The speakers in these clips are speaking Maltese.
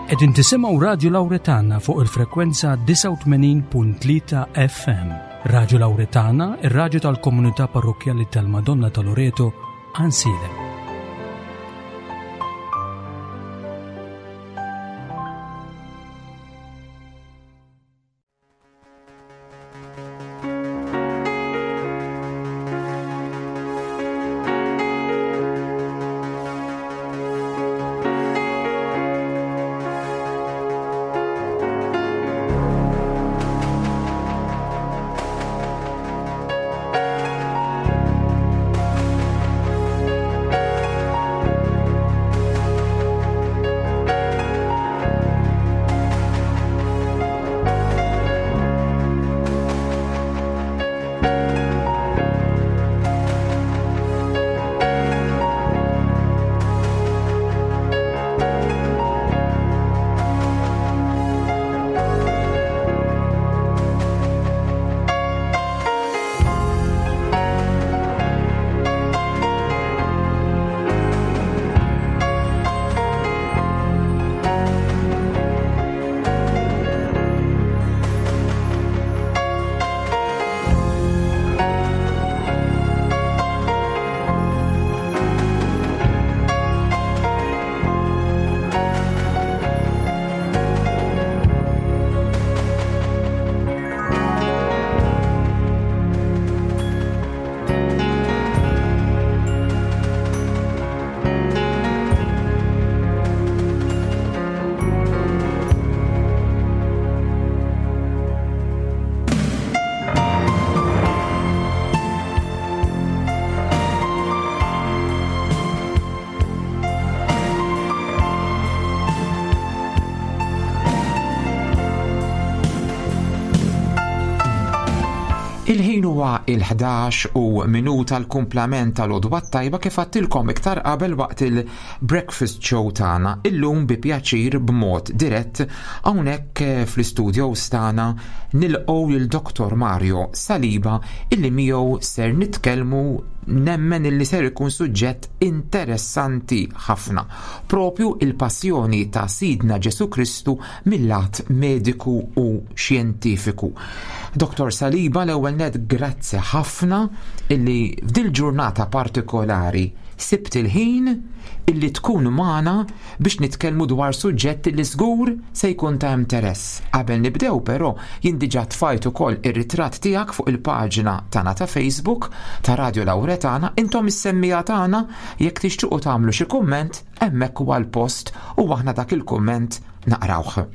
Qegħdin tisimgħu Radju Lawretana fuq il-frekwenza 89.3 FM. Radju Lawretana, ir-radju tal-komunità parrokkjali tal-Madonna ta' Loreto, Għansielem. Il-ħin huwa il-11 u minuta l-kumplament tal-għodwa tajba kif għattilkom iktar qabel waqt il-breakfast show tagħna illum bi pjaċir b'mod dirett hawnhekk fl-istudios tagħna nilqgħu lil Dr. Mario Saliba illi miegħu ser nitkellmu nemmen illi ser ikun suġġett interessanti ħafna. Propju il-passjoni ta' Sidna Ġesu Kristu mill-lat mediku u xjentifiku. Dr. Saliba l-ewwel net grazzi ħafna illi f'dil ġurnata partikolari sibt il-ħin illi tkun magħna biex nitkellmu dwar suġġett li żgur se jkun ta' interess. Qabel nibdew però jien diġà tfajt ukoll ir-ritratt tiegħek fuq il-paġna tagħna ta' Facebook ta' Radio Lawretana, intom is-semmiegħa tagħna jekk tixtiequ tagħmlu xi kumment hemmhekk huwa l-post u aħna dak il-kumment naqrawh.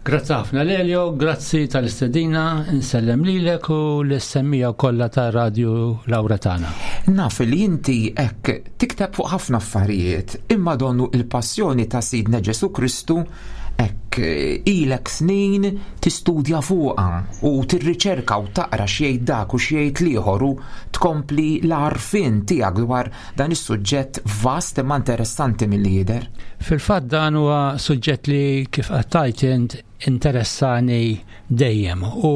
Grazzi ħafna Lelio, grazzi tal-istedina, insellem lilek u l-semmija kollha ta' Radio Lawretana. Naf li inti hekk tikteb fuq ħafna affarijiet, imma donnu il-passjoni ta' Sidna Ġesu Kristu hekk ilek snin tistudja fuqha u tirriċerka u taqra x'jgħid dak u x'jgħid l-ieħor u tkompli l-għarfien tiegħek dwar dan is-suġġett vast imma interessanti milli jidher. Fil-fatt dan huwa suġġett li kif qed int interessani dejjem u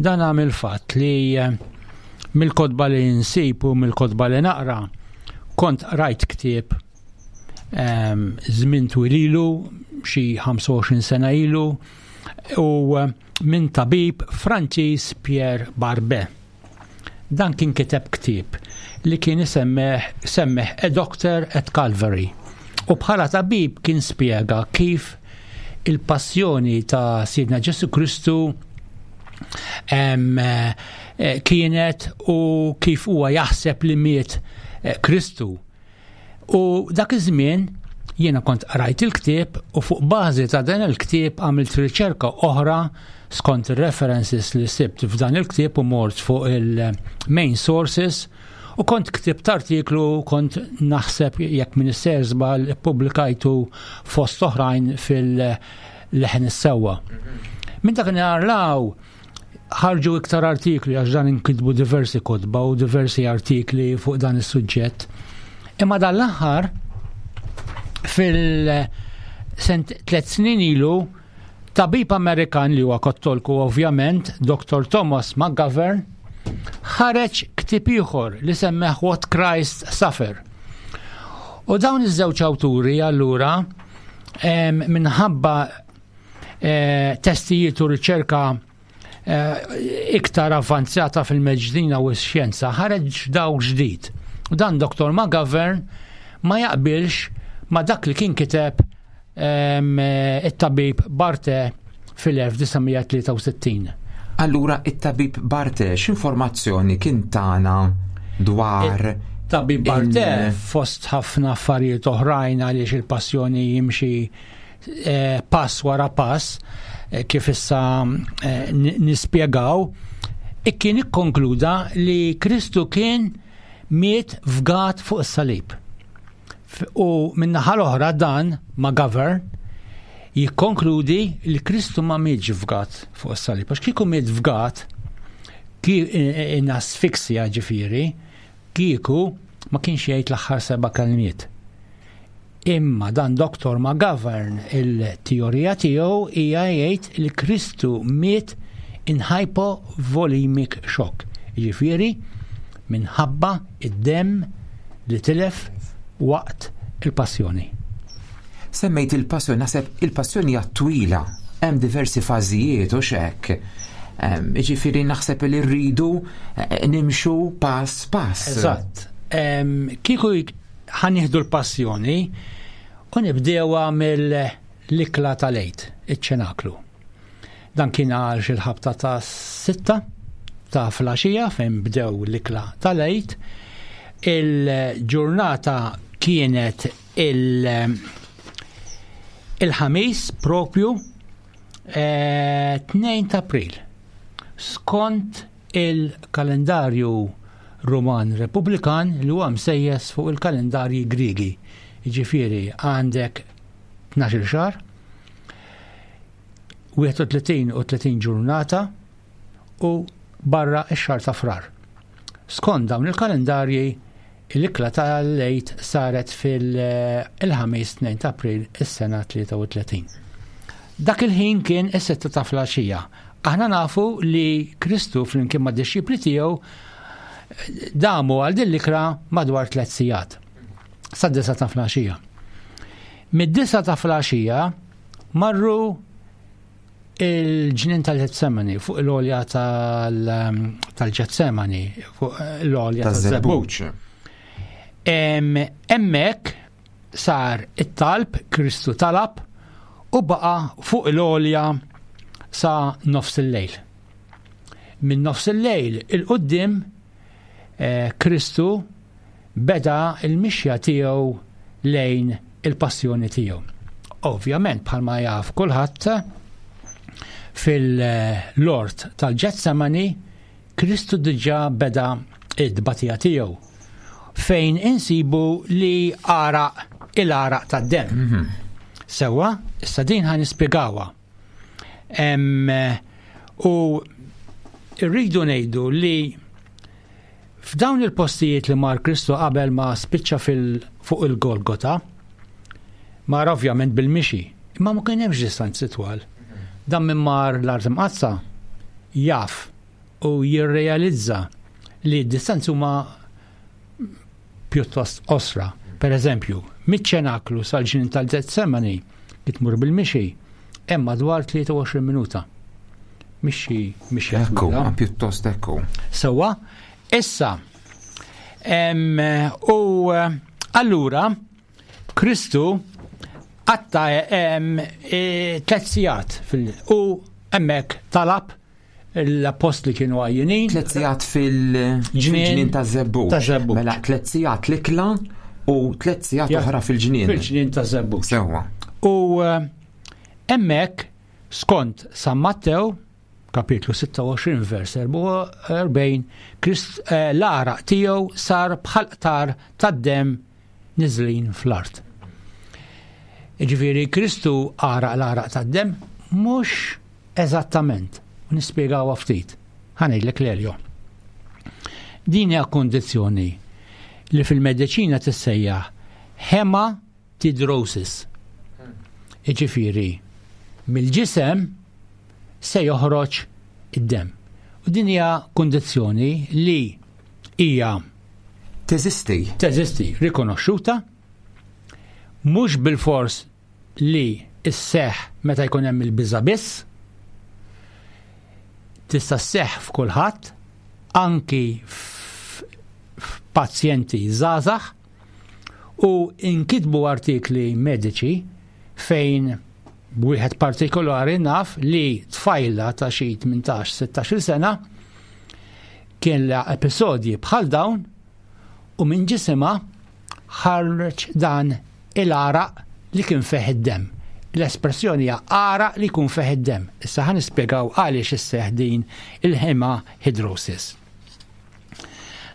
dan għamil fatt li eh, mill-kotba li nsib u mill-kotba li naqra kont rajt ktieb ehm, żmien twil ilu xi 25 sena ilu u eh, minn tabib Franċiż Pierre Barbet. Dan kien kiteb ktieb li kien isemmeh semmeh A Doctor at Calvary. U bħala tabib kien spjega kif il-passjoni ta' Sidna Ġesu Kristu eh, kienet u kif huwa jaħseb li miet eh, Kristu. U dak iż-żmien jiena kont qrajt il-ktieb u fuq bażi ta' dan il-ktieb għamilt riċerka oħra skont ir-references li sibt f'dan il-ktieb u mort fuq il-main sources u kont ktibt artiklu kont naħseb jekk minn sejr żball ippubblikajtu fost oħrajn fil-leħen is-sewwa. Minn dak law ħarġu iktar artikli għax dan inkitbu diversi kotba u diversi artikli fuq dan is-suġġett. Imma dan l-aħħar fil sent tlet snin ilu tabib Amerikan li huwa kattolku ovvjament, Dr. Thomas McGovern, ħareġ ktieb ieħor li semmeħ What Christ Suffer. U dawn iż-żewġ awturi allura. Minħabba testijiet u riċerka iktar avvanzata fil-medċina u x-xjenza ħareġ daw ġdid. U dan Dr. McGovern ma jaqbilx ma dak li kien kiteb it-tabib Barte fil-1963. Allura it-tabib Barte x'informazzjoni kien tana dwar Tabib Barte fost ħafna affarijiet oħrajn għaliex il-passjoni jimxi pass wara pass kif issa nispjegaw, kien ikkonkluda li Kristu kien miet fgat fuq is-salib. U min-naħa l-oħra dan McGovern jikkonkludi li Kristu ma mietx fgat fuq is-salib. Għax kieku miet fgat, in asfiksja ġifieri, kieku ma kienx jgħid l-aħħar seba' kelmiet. Imma dan Dr. McGovern il-teorija tiegħu hija jgħid li Kristu miet in hypovolemic shock. Jiġifieri minħabba id-demm li tilef waqt il-passjoni. Semmejt il-passjoni, naħseb il-passjoni hija twila, hemm diversi fażijiet u x'hekk. Jiġifieri naħseb li rridu nimxu pass pass. Eżatt. Kieku ħa nieħdu l-passjoni u nibdewha mill-ikla tal-Għid, iċ-ċenaklu. Dan kien għal xi ħabta ta' 6 ta' filgħaxija fejn bdew l-ikla tal-Għid. Il-ġurnata kienet il-Ħamis propju 2 ta' April. Skont il-kalendarju Ruman Repubblikan li huwa msejjes fuq il-kalendarji Griegi. Jiġifieri għandek 12 xahar, 31 u 30 ġurnata u barra x-xahar ta' Frar. Skont dawn il-kalendarji, l-ikla tal-Għid saret fil-Ħamis 2 ta' April is-sena 33. Dak il-ħin kien is-6 ta' filgħaxija. Aħna nafu li Kristu flimkien mad-dixxipli tiegħu damu għal din l-ikra madwar 3 sigħat. Sad-9 ta' filgħaxija. Mid-9 ta' filgħaxija marru il-ġnien tal-Ġetsemani, fuq l-għolja tal-Ġetsemani, fuq l-għolja taż-Żebbuġ. Hemmhekk sar it-talb, Kristu talab u baqa' fuq l-għolja sa nofs il-lejl. Minn nofs il-lejl il-qudiem Kristu beda l-mixja tiegħu lejn il-passjoni tiegħu. Ovvjament, bħalma jaf kulħadd, fil-lort tal-Ġetsemani Kristu diġà beda id-tbatija tiegħu fejn insibu li għaraq il-għaraq tad-demm. Sewwa, issa din ħa nispjegawha. U rridu ngħidu li f'dawn il-postijiet li mar Kristu qabel ma spiċċa fuq il-Golgota, mar ovvjament bil-mixi, imma ma kien hemmx distanzi twal. Dan minn mar l-Art Imqaddsa jaf u jirrealizza li d-distanzi huma pjuttost qosra. Per eżempju, miċ-ċenaklu sal-ġnien tal-Ġetsemani li tmur bil-mixi hemm madwar 23 minuta. Mixi, mixi. Ekku, pjuttost ekku. Sewwa, issa, u allura Kristu għatta 3 sigħat u hemmhekk talab l-appostli kienu għajjinin. 3 sigħat fil-ġnien ta' Żebbuġ. Ta' Żebbuġ. Mela 3 sigħat l-ikla u 3 sigħat oħra fil-ġnien. Fil-ġnien ta' Żebbuġ. Sewwa. U hemmhekk skont San Mattew, kapitlu 26 vers 44, Krist l-għaraq tiegħu sar bħal qtar tad-demm niżlin fl-art. Jiġifieri Kristu għaraq l-għaraq tad-demm mhux eżattament, u nispjegawha ftit. Ħa ngħidlek l-Elio. Din hija kondizzjoni li fil-mediċina tissejjaħ hematidrosis. Jiġifieri mill-ġisem se joħroġ id-demm. U din hija kondizzjoni li hija teżisti. Teżisti, rikonoxxuta, mhux bil-fors li sseħħ meta jkun hemm il-biża' biss, tista' sseħħ f'kulħadd, anki f'pazjenti żgħażagħ, u inkitbu artikli mediċi fejn wieħed partikolari naf li tfajla ta' xi 18-16 sena kien la episodji bħal dawn u minn ġisimha ħareġ dan il-għaraq li kien fih id-demm. L-espressjoni hija għaraq li jkun fih id-demm. Issa ħa nispjegaw għaliex isseħħ din il-hemahidrosis.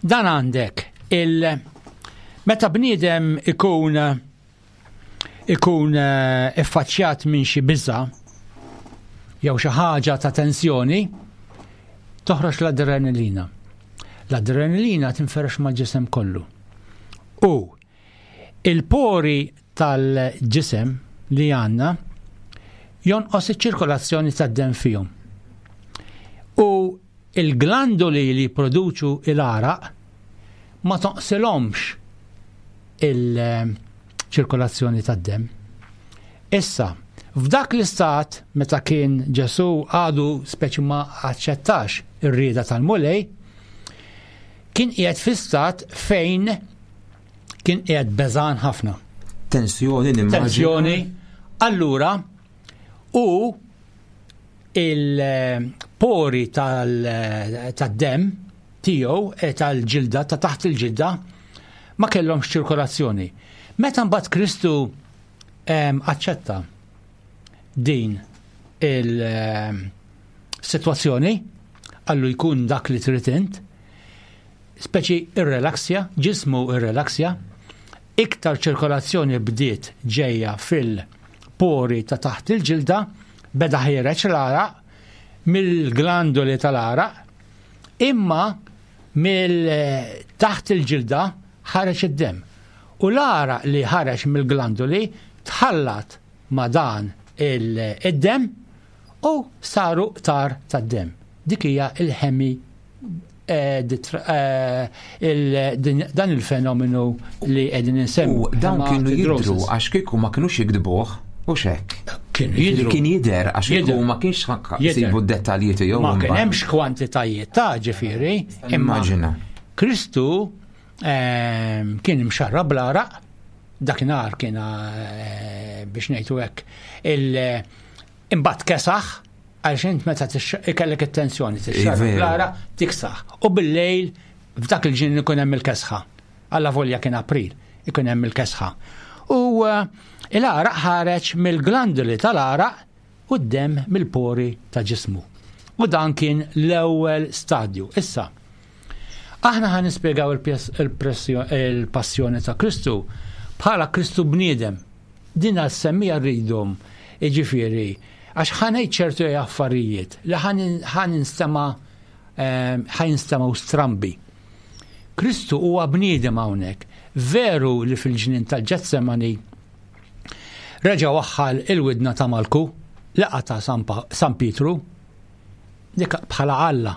Dan għandek il meta bniedem ikun ikun eh, iffaċċjat minn xi biża jew xi ħaġa ta' tensjoni, toħroġ l-adrenalina. L-adrenalina tinferex mal-ġisem kollu. U il-pori tal-ġisem li għandna jonqos iċ-ċirkolazzjoni tad-demm fihom. U il-glandoli li jipproduċu il-għaraq ma tonqsilhomx il-ċirkolazzjoni tad-demm. Issa, f'dak l-istat meta kien Ġesù għadu speċi ma aċċettax ir-rieda tal-Mulej, kien qiegħed fi stat fejn kien qiegħed beżan ħafna. Tensjoni nimmaġina. Tensjoni. Allura, u il-pori tad-demm tiegħu e tal-ġilda ta' taħt il-ġilda ma kellhomx ċirkolazzjoni. Meta mbagħad Kristu aċċetta din il-sitwazzjoni għallu jkun dak li trid int, speċi irrelaksja, ġismu irrelaksja, iktar ċirkolazzjoni bdiet ġejja fil-pori ta' taħt il-ġilda, beda ħiereġ l-għaraq mill-glandoli tal-għaraq, imma mill taħt il-ġilda ħareġ id-demm. U l-għaraq li ħareġ mill-glandoli tħallat ma' dan id-demm u saru qtar tad-demm. Dik hija il-ħemi eh, eh, dan il-fenomenu li qegħdin insemmu. U dawn kienu jidru għax kieku ma kinux jikdbuh u xek. Kienu jidru. Kien jidher għax kieku ma kienx jsibu d-dettalji tiegħu. Ma kien hemmx kwantitajiet ta' ġifieri. Immaġina. Kristu ehm, kien imxarrab bl-għaraq, dakinhar kien eh, biex ngħidu hekk il imbagħad kesaħ għaliex int meta ikellek it-tensjoni tixxarrab bl-għaraq tiksaħ. U bil-lejl f'dak il-ġin ikun hemm il-kesħa. Alla volja kien April, ikun hemm il-kesħa. U eh, il-għaraq ħareġ mill-glanduli tal-għaraq u d-demm mill-pori ta' ġismu. U dan kien l-ewwel stadju. Issa, aħna ħa nispjegaw il-passjoni ta' Kristu bħala Kristu bniedem. Din għas-semmija rridhom, jiġifieri, għax ħa ngħid ċertu affarijiet li ħa ninstema' ehm, ħa jinstemgħu strambi. Kristu huwa bniedem hawnhekk. Veru li fil-ġnien tal-Ġetsemani Reġa' waħħal il-widna ta' Malku li qata' San Pietru, dik bħala Alla.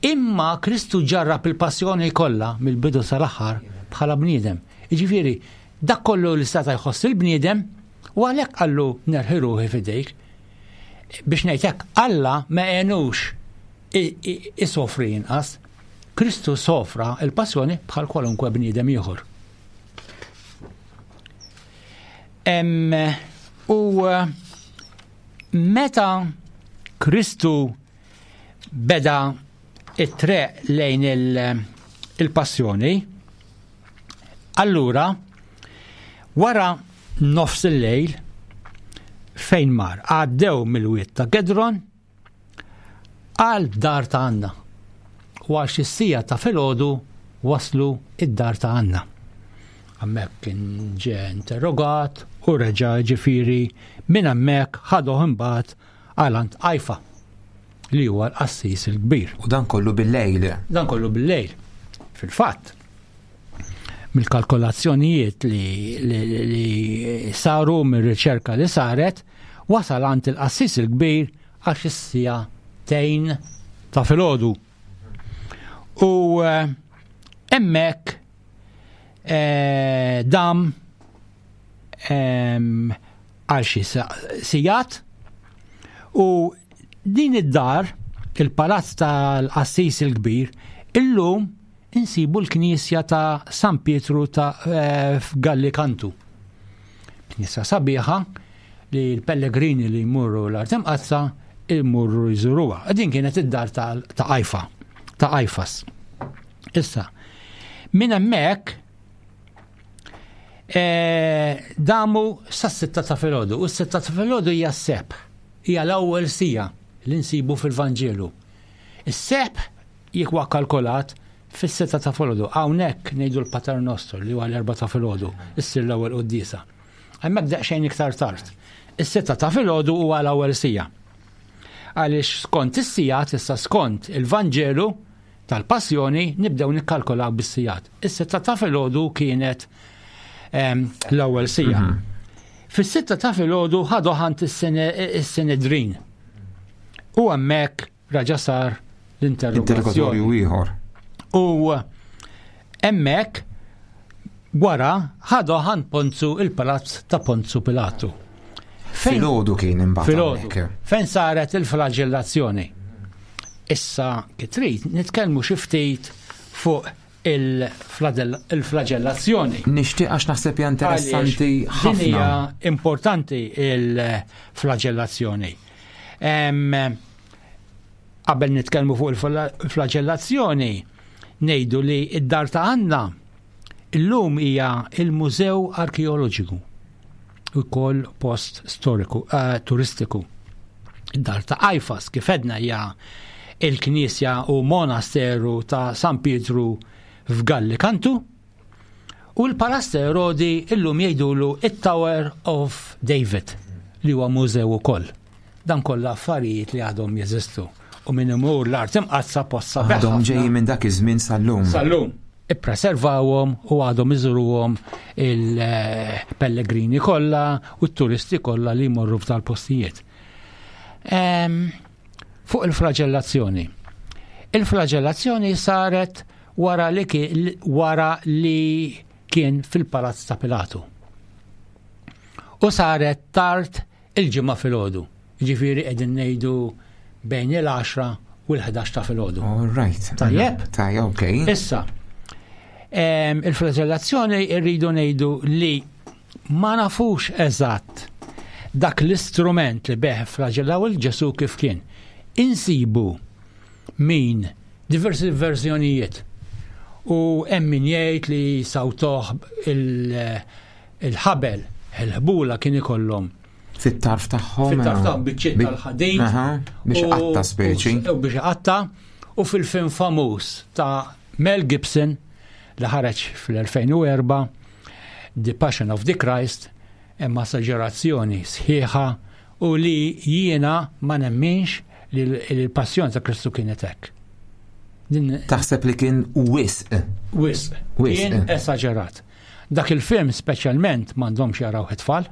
Imma Kristu ġarrab il-passjoni kollha mill-bidu sal-aħħar bħala bniedem. Jiġifieri, dak kollu li seta' jħoss il-bniedem u għalhekk qallu nerħi ruħi f'idejk. Biex ngħid hekk, Alla ma għenux isofri inqas. Kristu sofra il-passjoni bħal kwalunkwe bniedem ieħor. U eh, meta Kristu beda it-treq lejn il-passjoni, allura wara nofs il-lejl fejn mar għaddew mill-wied ta' Gedron Għal dar ta' Anna. U għal xi siegħa ta' filgħodu waslu id-dar ta' Anna. Hemmhekk kien ġie interrogat u reġa' ġifieri minn hemmhekk ħaduh imbagħad għal għand Qajfa li huwa l-qassis il-kbir. U dan kollu bil-lejl. Dan kollu bil-lejl. Fil-fatt, mill-kalkolazzjonijiet li, li, li saru mir-riċerka li saret, wasal għand il-qassis il-kbir għax is-siegħa tejn ta' filgħodu. U eh, hemmhekk eh, dam għal xi sigħat u din id-dar, il-palazz tal-Qassis il-Kbir, illum insibu l-knisja ta' San Pietru ta' eh, f'Gallikantu. Knisja sabiħa li l-pellegrini li jmurru l-Art Imqaddsa jmurru jżuruha. Din kienet id-dar ta' Ajfa, ta' Ajfas. Issa, minn hemmhekk eh, damu sas-sitta ta' filgħodu. U s-sitta ta' filgħodu hija s-sebħ, hija l-ewwel sija li nsibu fil-Vanġelu. Is-sebħ jekk huwa kalkolat fis-sitta ta' filgħodu. Hawnhekk ngħidu l-Pater Nostru li huwa l-erba' ta' filgħodu, issir l-ewwel quddiesa. Hemmhekk daqsxejn iktar tard. Is-sitta ta' filgħodu huwa l-ewwel sija. Għaliex skont is-sigħat issa skont il-Vanġelu tal-Passjoni nibdew nikkalkolaw bis-sigħat. Is-sitta ta' filgħodu kienet ehm, l-ewwel sija. Mhm. Fis-sitta ta' filgħodu ħadu ħant is-Senedrin. U hemmhekk raġa' sar l-interrogatorju ieħor. U hemmhekk wara ħadu ħant Ponzu il-palazz ta' Ponzu Pilatu. Filgħodu kien imbagħad. Filgħodu. Fejn saret il-flagellazzjoni. Issa kif trid nitkellmu xi ftit fuq il-flagellazzjoni. Nixtieq għax naħseb hija interessanti ħafna. Din hija importanti il-flagellazzjoni. Qabel nitkellmu fuq il-flagellazzjoni, ngħidu li id-dar ta' Anna illum hija il-Mużew Arkeoloġiku ukoll post storiku uh, turistiku. Id-dar ta' Ajfas kif edna hija il-knisja u monasteru ta' San Pietru f'Gallikantu u l-Palazz ta' Erodi illum jgħidulu it-Tower of David li huwa mużew ukoll. Dan kollha affarijiet li għadhom jeżistu u min imur l-art imqaddsa post sabiħ. Għadhom ġejjin minn dak iż-żmien sal-lum. Sal-lum. Ippreservawhom u għadhom iżuruhom il-pellegrini kollha u t-turisti kollha li jmorru f'dal-postijiet. Fuq il-flagellazzjoni. Il-flagellazzjoni saret wara li wara li kien fil-palazz ta' Pilatu. U saret tard il-ġimgħa filgħodu. Ġifieri qegħdin ngħidu bejn il-10 u l-11 ta' filgħodu. All right. Tajjeb? Tajjeb, okay. Issa, il-flagellazzjoni rridu ngħidu li ma nafux eżatt dak l-istrument li beħ flagellaw il-Ġesu kif kien. Insibu min diversi verżjonijiet u hemm min jgħid li sawtoh il-ħabel, il-ħbula kien ikollhom. Fit-tarf tagħhom. Fit-tarf tagħhom biċċiet tal-ħadid. Biex qatta speċi. U biex qatta u fil-film famuż ta' Mel Gibson li ħareġ fl-2004 The Passion of the Christ hemm esaġerazzjoni sħiħa u li jiena ma nemminx li l-passjoni ta' Kristu kienet hekk. Taħseb li kien wisq. Wisq. Kien esaġerat. Dak il-film speċjalment m'għandhomx jaraw it-tfal,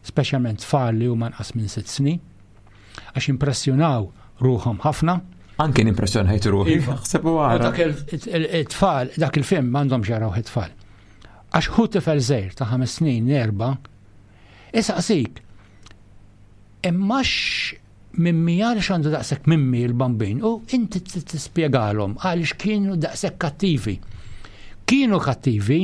speċjalment tfal li huma nqas minn sitt snin, għax impressjonaw ruħhom ħafna. Anke nimpressjonajt ruħi. Iva. Ħsebu għara. Dak il-tfal, dak il-film m'għandhomx jaraw it-tfal. Għax hu tifel żgħir ta' ħames snin, erba, isaqsik, imma mimmi għaliex għandu daqshekk mimmi l-bambin u inti tispjegalhom għaliex kienu daqshekk kattivi. Kienu kattivi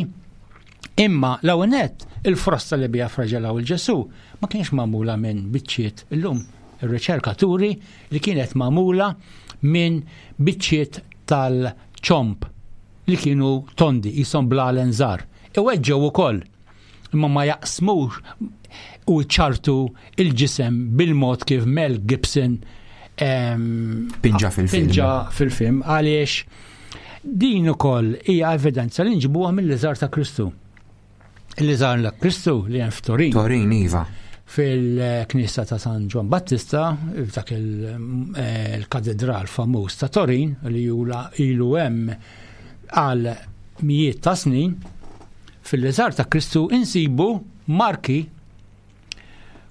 imma l-ewwel nett il-frosta li biha fraġelaw il-Ġesu ma kienx magħmula minn biċċiet illum ir-riċerka turi li kienet magħmula minn biċċiet tal-ċomp li kienu tondi jisom blalen żgħar. Iweġġew ukoll imma ma jaqsmux u ċartu il-ġisem bil-mod kif Mel Gibson pinġa fil-film. Pinġa fil-film għaliex din ukoll hija evidenza li nġibuha mill-liżar ta' Kristu. Il-liżar ta' Kristu li hemm f'Torin. Torin, iva. Fil-Knisa ta' San Ġwan Battista, f'dak eh, il-katedral famuż ta' Torin li jula ilu hemm għal mijiet ta' snin, Fil-liżar ta' Kristu insibu marki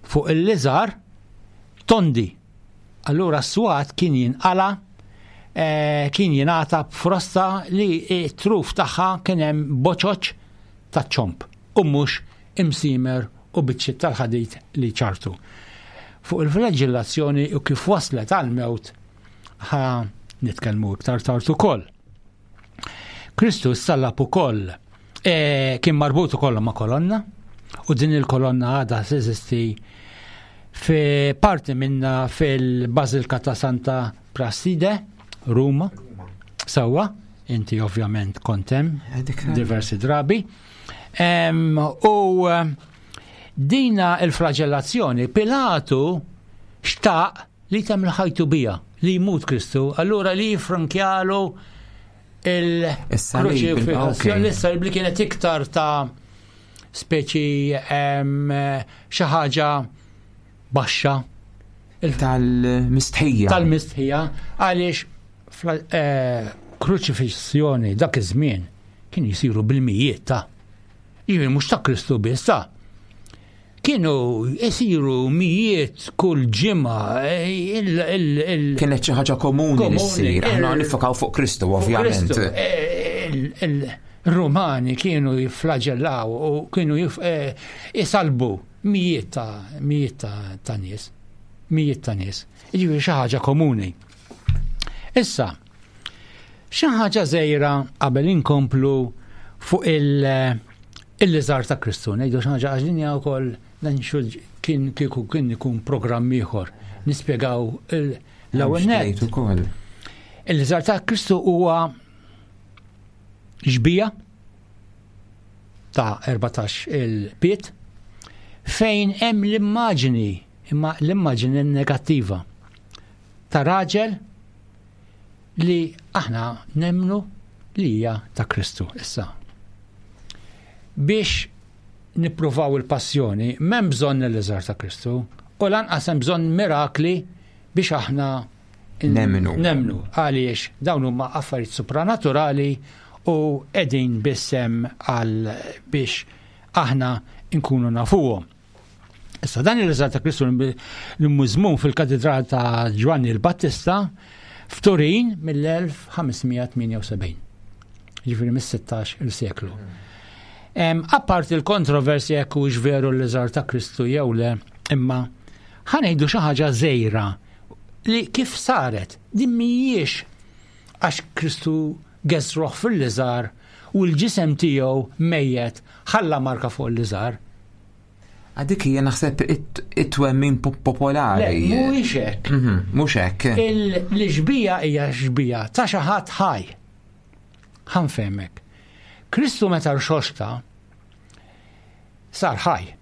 fuq il-liżar tondi. Allura s-swat kien jinqala eh, kien jingħata b'frosta li t-truf tagħha kien hemm boċoċ ta' ċomp u mhux imsimer u biċċiet tal-ħadid li ċartu. Fuq il-flagellazzjoni u kif waslet għal-mewt ħa nitkellmu iktar tard ukoll. Kristu sallab ukoll e, kien marbut ukoll ma' kolonna u din il-kolonna għadha teżisti fi parti minna fil-Bażilka ta' Santa Prasside, Ruma. Sewwa, inti ovvjament kontem diversi drabi. U eh, dina il-flagellazzjoni, Pilatu xtaq li tem ħajtu bija, li jmut Kristu, allura li jifrankjalu il-kruċifissjoni, l-salib li kienet iktar ta' speċi xi ħaġa baxxa. Tal-mistħija. Tal-mistħija, għaliex eh, kruċifissjoni dak iż-żmien kien jisiru bil-mijiet ta' Jiġifieri mhux ta' Kristu biss ta' kienu jisiru mijiet kull ġimgħa. Eh, Kienet xi ħaġa komuni li ssir, aħna nifokaw fuq Kristu ovvjament. Eh, Il-Rumani kienu jifflagellaw u kienu jisalbu eh, mijiet ta' mijiet ta' nies. Mijiet ta' nies. Jiġifieri xi ħaġa komuni. Issa, xi ħaġa żgħira qabel inkomplu fuq il-liżar ta' Kristu, ngħidu xi ħaġa għax din hija wkoll dan kien kieku kien ikun programm ieħor nispjegaw l-ewwel nett. Il-liżar ta' Kristu huwa xbija ta' 14 il-piet fejn hemm l-immaġini imma l-immaġini negattiva ta' raġel li aħna nemnu li hija ta' Kristu issa. Biex nippruvaw il-passjoni, m'hemm bżonn l-iżgħar ta' Kristu u lanqas hemm bżonn mirakli biex aħna Nemnu. Nemnu għaliex dawn huma affarijiet supranaturali u qegħdin biss hemm għal biex aħna nkunu nafuhom. Issa dan il-riżat ta' Kristu li mużmum fil-Katedral ta' Ġwanni l-Battista f'Turin mill-1578. Ġifieri mis-16 il-seklu. Apparti l-kontroversja jekk hux veru l-liżar ta' Kristu jew le, imma ħanejdu xi ħaġa żejra li kif saret din mhijiex għax Kristu geżruh fil-liżar u l-ġisem tiegħu mejjet ħalla marka fuq il-liżar. Dik hija naħseb it-twemmin popolari. Le, mhuwiex hekk. Mhm, mhux hekk. L-xbija hija xbija ta' xi ħadd ħaj. Ħanfehmek. Kristu meta rxoxta sar ħaj.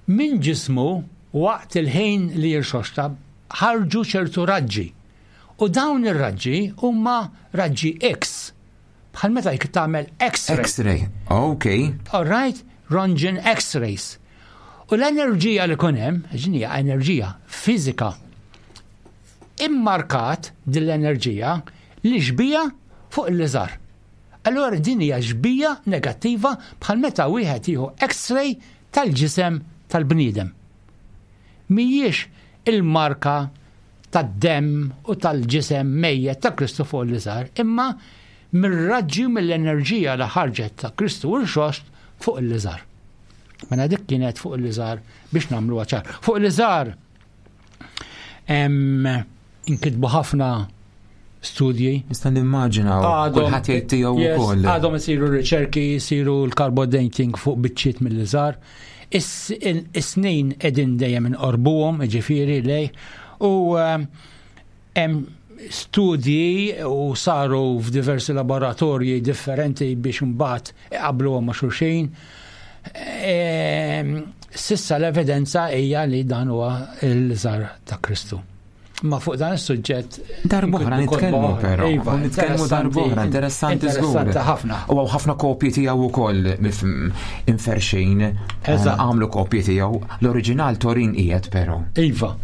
Minn ġismu waqt il-ħin li jirxoxta ħarġu ċertu raġġi. U dawn ir-raġġi huma raġġi X Bħal meta jek tagħmel X-ray. X-ray, ok. All right, Röntgen X-rays. U l-enerġija li kun hemm, ġinija enerġija fiżika, immarkat din l-enerġija li xbija fuq il-liżar. Allura din hija xbija negattiva bħal meta wieħed jieħu X-ray tal-ġisem tal-bniedem. Mhijiex il-marka tad-demm u tal-ġisem mejjet ta' Kristu fuq il-liżar, imma mir-raġġi u mill-enerġija li ħarġet ta' Kristu u rxoxt fuq il-liżar. Mela dik kienet fuq il-liżar biex nagħmluha ċar. Fuq il-liżar inkitbu ħafna studji. Nista' nimmaġina kulħadd jgħid tiegħu wkoll. Għadhom isiru riċerki, isiru l-carbon dating fuq biċċiet mill-liżar. Is-snin qegħdin dejjem inqorbuhom, jiġifieri lej, u eh, hemm studji u saru f'diversi laboratorji differenti biex imbagħad iqabluhom ma' xulxin. Ehm, sissa l-evidenza hija li dan huwa l-żar ta' Kristu. Ma fuq dan is-suġġett. Darbohra nitkellmu però. Iva, nitkellmu darbohra, interessanti żgur. Interessanti ħafna. U hawn ħafna kopji tiegħu wkoll inferxin. Eh, għamlu kopji tiegħu. L-oriġinal Torin qiegħed però. Iva.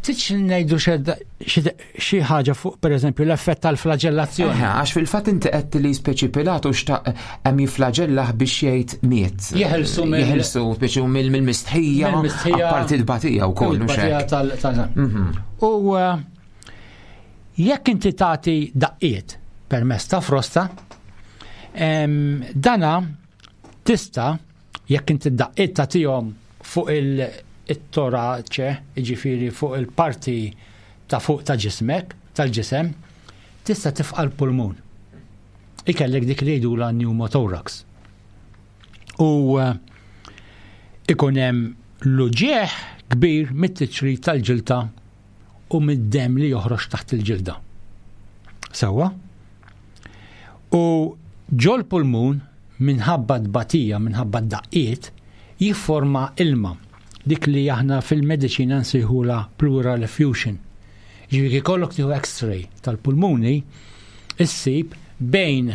Titx ngħidu xi ħaġa fuq pereżempju l-effett tal-flagellazzjoni. Għax fil-fatt inti qed li speċi Pilatu xtaq hemm jifflaġellah biex jgħid miet. Jeħilsu mill Jeħilsu speċi mill-mistħija. Mill-mistħija. Apparti l-batija wkoll mhux hekk. Mhm. U eh, jekk inti tagħti daqqiet permezz ta' frosta, dana tista' jekk inti daqqiet tagħtihom fuq il-toraċe, jiġifieri fuq il-parti ta' fuq ta' ġismek, tal-ġisem, tista' tifqa' l-pulmun. Ikellek dik li jgħidulha pneumothorax. U eh, ikun hemm l-uġieħ kbir mit-tiċrit tal-ġilta u mid-demm li joħroġ taħt il-ġilda. Sewwa? U ġol pulmun minħabba tbatija, minħabba daqqiet, jifforma ilma dik li aħna fil-mediċina nsejħula pleural effusion. Ġifieri jkollok tieħu x-ray tal-pulmuni, issib bejn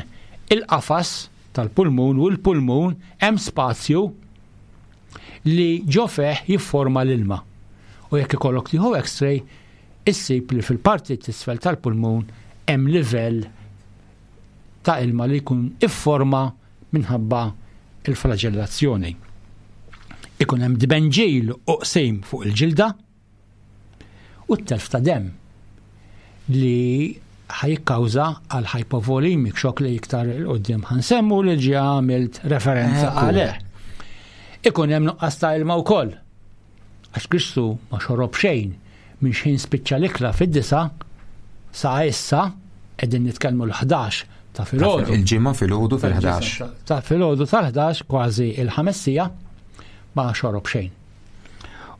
il-qafas tal-pulmun u l-pulmun hemm spazju li ġo fih jifforma l-ilma. U jekk ikollok tieħu x-ray, issib li fil-parti t'isfel tal-pulmun hemm livell ta' ilma li jkun ifforma minħabba il-flagellazzjoni. Ikun hemm dbenġil u qsim fuq il-ġilda u t-telf ta' demm li ħajikkawża għal hypovolemic shock li iktar il-qoddim ħansemmu li ġi għamilt referenza għalih. Ikun hemm nuqqas ta' ilma wkoll. Għax Kristu ma xorob xejn minn xħin spiċċa l-ikla fid-disa sa issa qegħdin nitkellmu l-11 ta' filgħodu. Il-ġimgħa filgħodu fil-11. Ta' filgħodu tal-11 kważi il-ħamessija ma xorob xejn.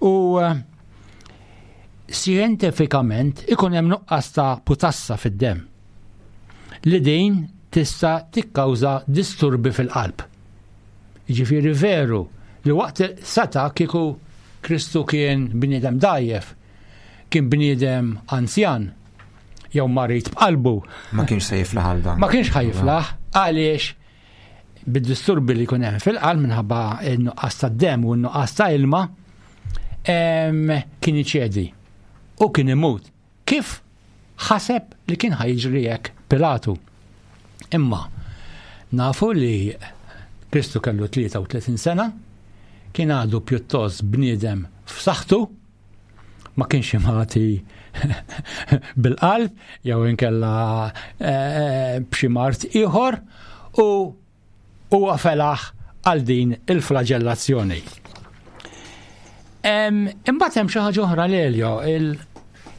U eh, xjentifikament ikun hemm nuqqas ta' putassa fid-demm li din tista' tikkawża disturbi fil-qalb. Jiġifieri veru li waqt seta' kieku Kristu kien bniedem dgħajjef, kien bniedem anzjan, jew marid b'qalbu. Ma kienx se jiflaħ għal dan. Ma kienx ħa jiflaħ għaliex bid-disturbi li jkun hemm fil-qalb minħabba n-nuqqas ta' demm u n-nuqqas ta' ilma kien iċedi u kien imut. Kif ħaseb li kien ħa jiġri hekk Pilatu. Imma nafu li Kristu kellu 33 sena, kien għadu pjuttost bniedem f'saħħtu, ma kienx imati bil-qalb jew inkella eh, b'xi mart ieħor u huwa felaħ għal din il-flagellazzjoni. Imbagħad hemm xi ħaġa oħra Lelio, il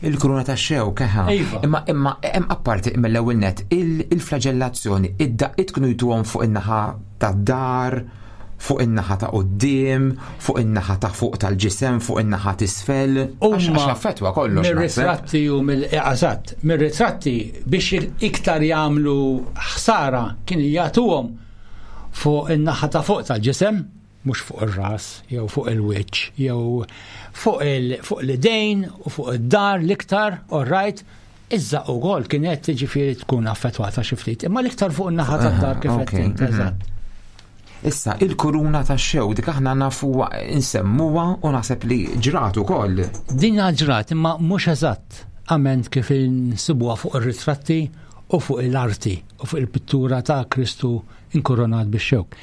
Il-kruna ta' xew keħa. Iva. Imma imma hemm apparti mill-ewwel net il-flagellazzjoni id-daqqiet kienu jtuhom fuq in-naħa tad-dar, fuq in-naħa ta' quddiem, fuq in-naħa ta' fuq tal-ġisem, fuq in-naħa t'isfel. Għax affettwa kollox. Mir-ritratti u mill-eżatt, mir-ritratti biex iktar jagħmlu ħsara kien jagħtuhom fuq in-naħa ta' fuq tal-ġisem, mhux fuq ir-ras jew fuq il-wiċċ jew fuq l-idejn u fuq id-dar l-iktar, all right, Iż-żaqq ukoll kienet ġifieri tkun affettwata xi ftit, imma l-iktar fuq in-naħa tad-dar kif qed int, mhm. eżatt. Issa, il-kuruna ta' xew, dik aħna nafuha insemmuha u naħseb li ġrat ukoll. Din ġrat, imma mhux eżatt ament kif insibuha fuq ir-ritratti u fuq il-arti u fuq il-pittura ta' Kristu inkoronat bix-xewk.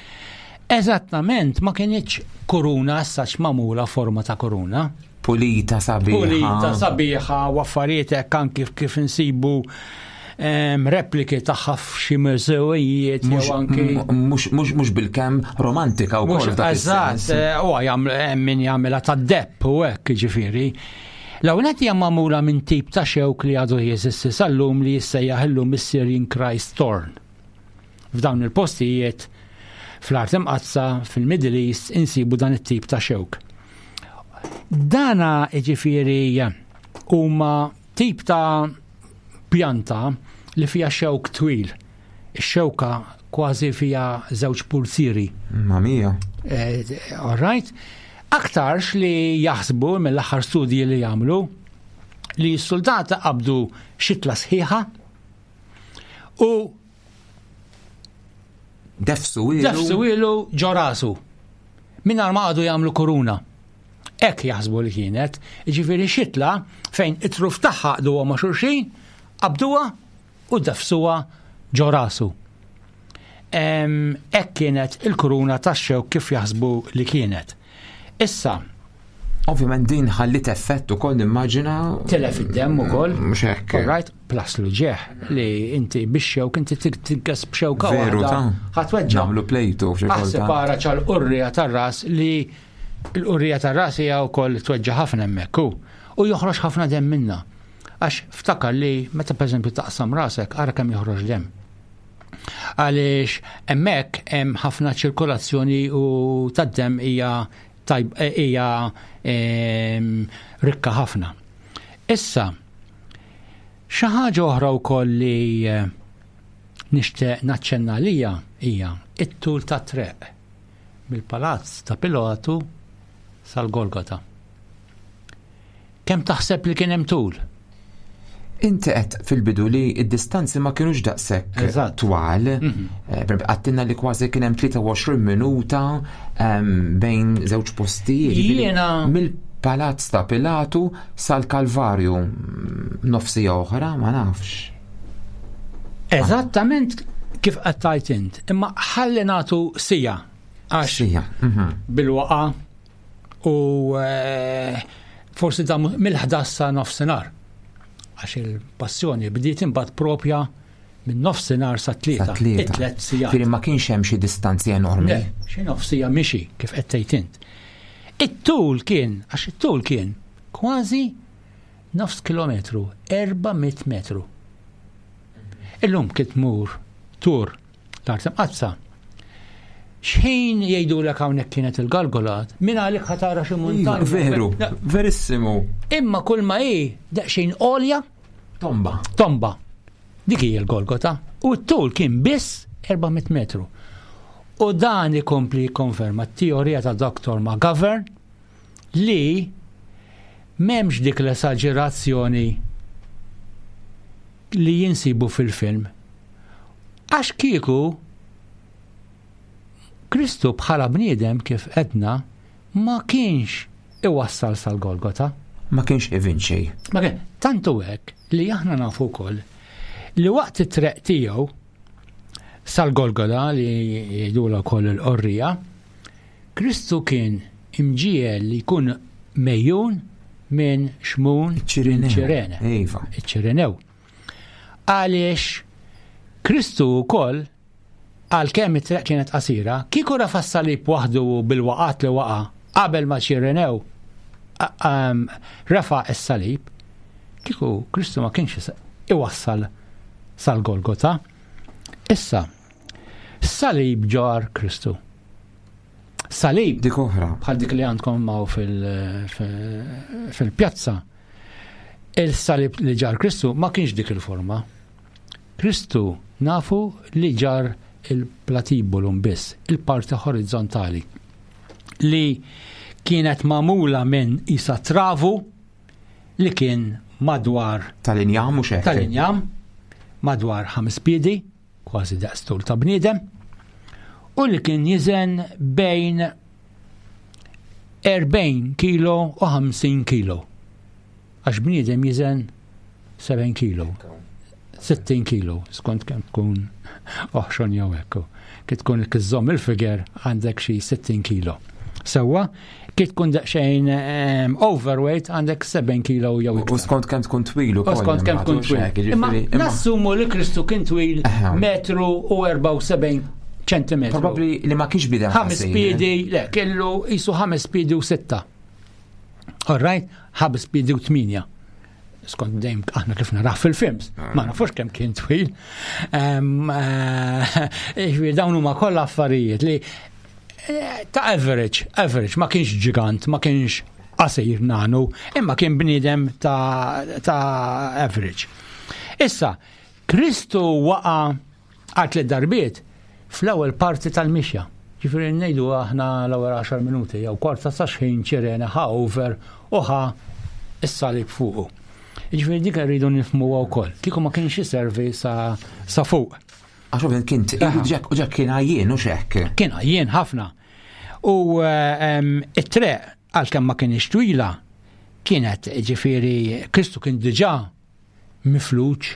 Eżattament ma kienitx kuruna sax magħmula forma ta' kuruna. Pulita sabiħa. Pulita sabiħa u affarijiet hekk anki kif insibu repliki tagħha f'xi mużewijiet jew anki. Mhux bil-kemm romantika wkoll. Eżatt, eh, u hemm min jagħmilha tad-depp u hekk jiġifieri. L-ewwel hija magħmula minn tip ta' xewk li għadu jeżisti sal-lum li jissejjaħ illum is-Syrian Christ Thorn. F'dawn il-postijiet fl-Art Imqaddsa, fil-Middle East, insibu dan it-tip ta' xewk. Dana ġifieri huma tip ta' pjanta li fija xewk twil. Ix-xewka kważi fija żewġ pulzieri. Ma mija. Eh, all right. Aktarx li jaħsbu mill-aħħar studji li jagħmlu li s-soldata qabdu xitla sħiħa U defsu ilu. Defsu ilu ġo rasu. Mingħajr ma għadu jagħmlu kuruna. Hekk jaħsbu li kienet, ġifieri xitla fejn it-truf tagħha qduha ma' xulxin, qabduha u defsuha ġo rasu. Hekk kienet il-kuruna tax-xewk kif jaħsbu li kienet. Issa, Ovvjament din ħallit effett ukoll nimmaġina. Tilef id-demm ukoll. Mhux hekk. All right, plus l-ġeħ li inti biex xewk inti tinkes b'xewka Veru ta' Ħatweġġa. Nagħmlu plejtu f'xi kultant. Aħseb ara ċal-qurrija tar-ras li Il-qurrija tar-ras hija wkoll tweġġa' ħafna hemmhekk hu. U joħroġ ħafna demm minnha. Għax ftakar li meta pereżempju taqsam rasek ara kemm joħroġ demm. Għaliex hemmhekk hemm ħafna ċirkolazzjoni u tad-demm hija hija rikka ħafna. Issa, xi ħaġa oħra wkoll li eh, nixtieq naċċenna għalija hija it-tul tat-treq mill-palazz ta' Pilatu sal-Golgota. Kemm taħseb li kien hemm tul? Inti qed fil-bidu li d-distanzi ma kienux daqshekk twal. Eh, għattinna li kważi kien hemm 23 minuta ehm, bejn żewġ postijiet. Jiena mill-Palazz ta' Pilatu sal-Kalvarju mm, nofsija oħra ma nafx. Eżattament kif qed tajt int, imma ħalli nagħtu sija għax sija. bil-waqa u eh, forsi da mill-11 sa nofsinhar. Għax il-passjoni bdiet imbagħad propja minn nofsinhar sa tlieta. Tliet sigħat. Firri ma kienx hemm xi distanzi enormi. Xi nofsija mixi kif qed tgħid int. It-tul kien, għax it-tul kien kważi nofs kilometru, 400 metru. Illum kif tmur tur L-art imqaddsa. Xħin jgħidulek hawnhekk kienet il-galgolat, minn għalik ħatara xi muntanja. Iva, veru, verissimu. Imma kull ma hi daqsxejn għolja. Tomba. Tomba. Dik hija l-Golgota. U t-tul kien biss 400 metru. U dan ikompli jikkonferma t-teorija ta' Dr. McGovern li m'hemmx dik l-esaġerazzjoni li jinsibu fil-film. Għax kieku Kristu bħala bniedem kif edna ma kienx iwassal sal-Golgota. Ma kienx ivinċi. Ma kien, tantu hekk li aħna nafu wkoll li waqt it-treq tiegħu sal-Golgota li jgħidulha wkoll il-qorrija, Kristu kien imġiegħel li jkun mejjun minn Xmun Ċirene. Iva. Iċ-Ċirinew. Għaliex Kristu wkoll għalkemm it-triq kienet qasira, kieku rafa s-salib waħdu bil-waqat li waqa' qabel ma Ċirinew refa' s-salib, kieku Kristu ma kienx iwassal sal-Golgota. Issa, salib ġar Kristu. Salib. Dik oħra. Bħal dik li għandkom maw fil-pjazza. Il-salib li ġar Kristu ma kienx dik il-forma. Kristu nafu li ġar il-platibulum biss, il-parti horizzontali li kienet mamula minn isa travu li kien madwar tal-injam mhux hekk. Tal-injam madwar ħames piedi kważi daqs tul ta' bniedem, u li kien jiżen bejn 40 kilo u 50 kilo. Għax bniedem jiżen 70 kilo, 60 kilo, skont kemm tkun oħxon jew hekk. Kif tkun kiżżomm il-figer għandek xi 60 kilo. Sewwa, kif tkun daqsxejn ehm, overweight għandek 7 kilo jew iktar. U skont kemm tkun twil ukoll. U skont kemm tkun twil. Imma nassumu li Kristu kien twil metru u 74 ċentimetru. Probabbli li ma kienx bidem. Ħames piedi, le, kellu jisu ħames piedi u sitta. All right, ħames piedi u tminja. Skont dejjem aħna kif naraħ fil-films, ah. ma nafux kemm kien twil. Eh, dawn huma kollha affarijiet li eh, ta' average, average, ma kienx ġigant, ma kienx qasir nanu, imma kien bniedem ta', ta average. Issa, Kristu waqa għal tliet darbiet fl-ewwel parti tal-mixja. Ġifieri ngħidu aħna l-ewwel 10 minuti jew kwarta sa xħin ċirene ħa over u ħa is-salib fuqu. Ġifieri dik rridu nifhmuha wkoll. Kieku ma kienx iservi sa, sa fuq. Għax ovvjament kien u ġek kien għajjien u xekk. Kien għajjien ħafna. U ehm, it-treq għalkemm ma kienx twila kienet ġifieri Kristu kien diġà mifluġ,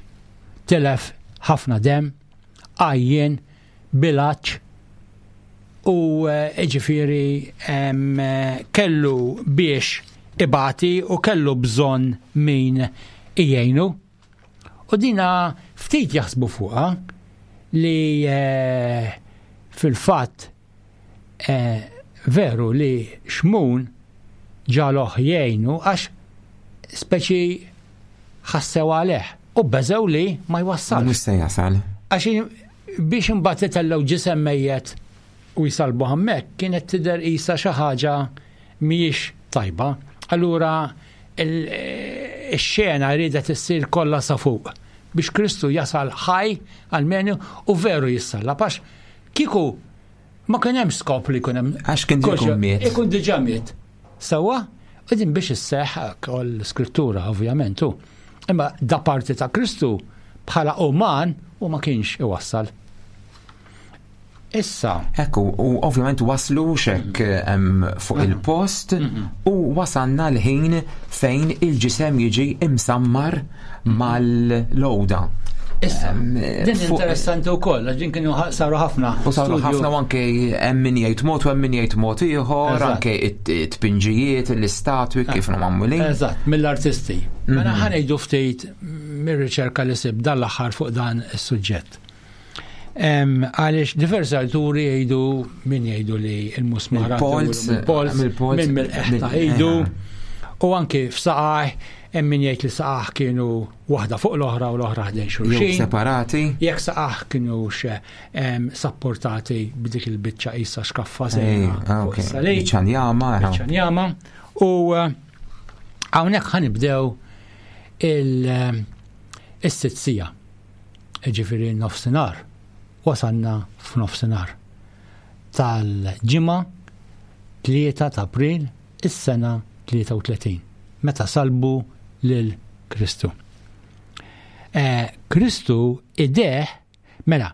tilef ħafna demm, għajjien, bil-għatx u eh, ġifieri kellu biex ibati u kellu bżonn min jgħinu. U dina ftit jaħsbu fuqha li eh, fil-fatt eh, Veru li Xmun ġaloh jgħinu għax speċi ħassew għalih u beżew li ma jwassalx. Mhux se jasal. Għax biex imbagħad itellgħu ġisem mejjet u jsalbu hemmhekk kienet tidher qisha xi ħaġa mhijiex tajba. Allura ix-xena riedet issir kollha sa fuq biex Kristu jasal ħaj għalmenu u veru jissallab għax kieku ma kien hemm skop li jkun hemm. Għax kien diġà miet. Ikun diġà miet. Sewwa, u din biex isseħħ l-iskrittura ovvjament hu. Imma da parti ta' Kristu bħala uman u ma kienx iwassal. Issa. Ekku, u ovvjament waslu xek fuq il-post u wasalna l-ħin fejn il-ġisem jiġi imsammar mal-lowda. Issa, din interessanti wkoll, għax din kienu saru ħafna. U saru ħafna u anke hemm min jgħid mod u hemm min jgħid mod ieħor, anke it-tpinġijiet, l-istatwi kif magħmulin. Eżatt, mill-artisti. Mela ħa ngħidu ftit mir-riċerka li sib dan l-aħħar fuq dan is-suġġett. Għaliex diversi awturi jgħidu min jgħidu li l-musmar mill-polz, minn mill-eħta jgħidu u anki f'saqaj hemm min jgħid li saqah kienu waħda fuq l-oħra u l-oħra ħdejn xulxin. Separati. Jekk saqah kienu sapportati b'dik il-biċċa qisha xkaffa sejra. Ah, biċċa njama. Biċċa njama. U eh, hawnhekk ħanibdew il-sitzija. Jiġifieri nofsinhar. Wasalna f'nofsinhar tal-Ġimgħa 3 ta' April is-sena 33 meta salbu lil Kristu. Eh, Kristu ideh mela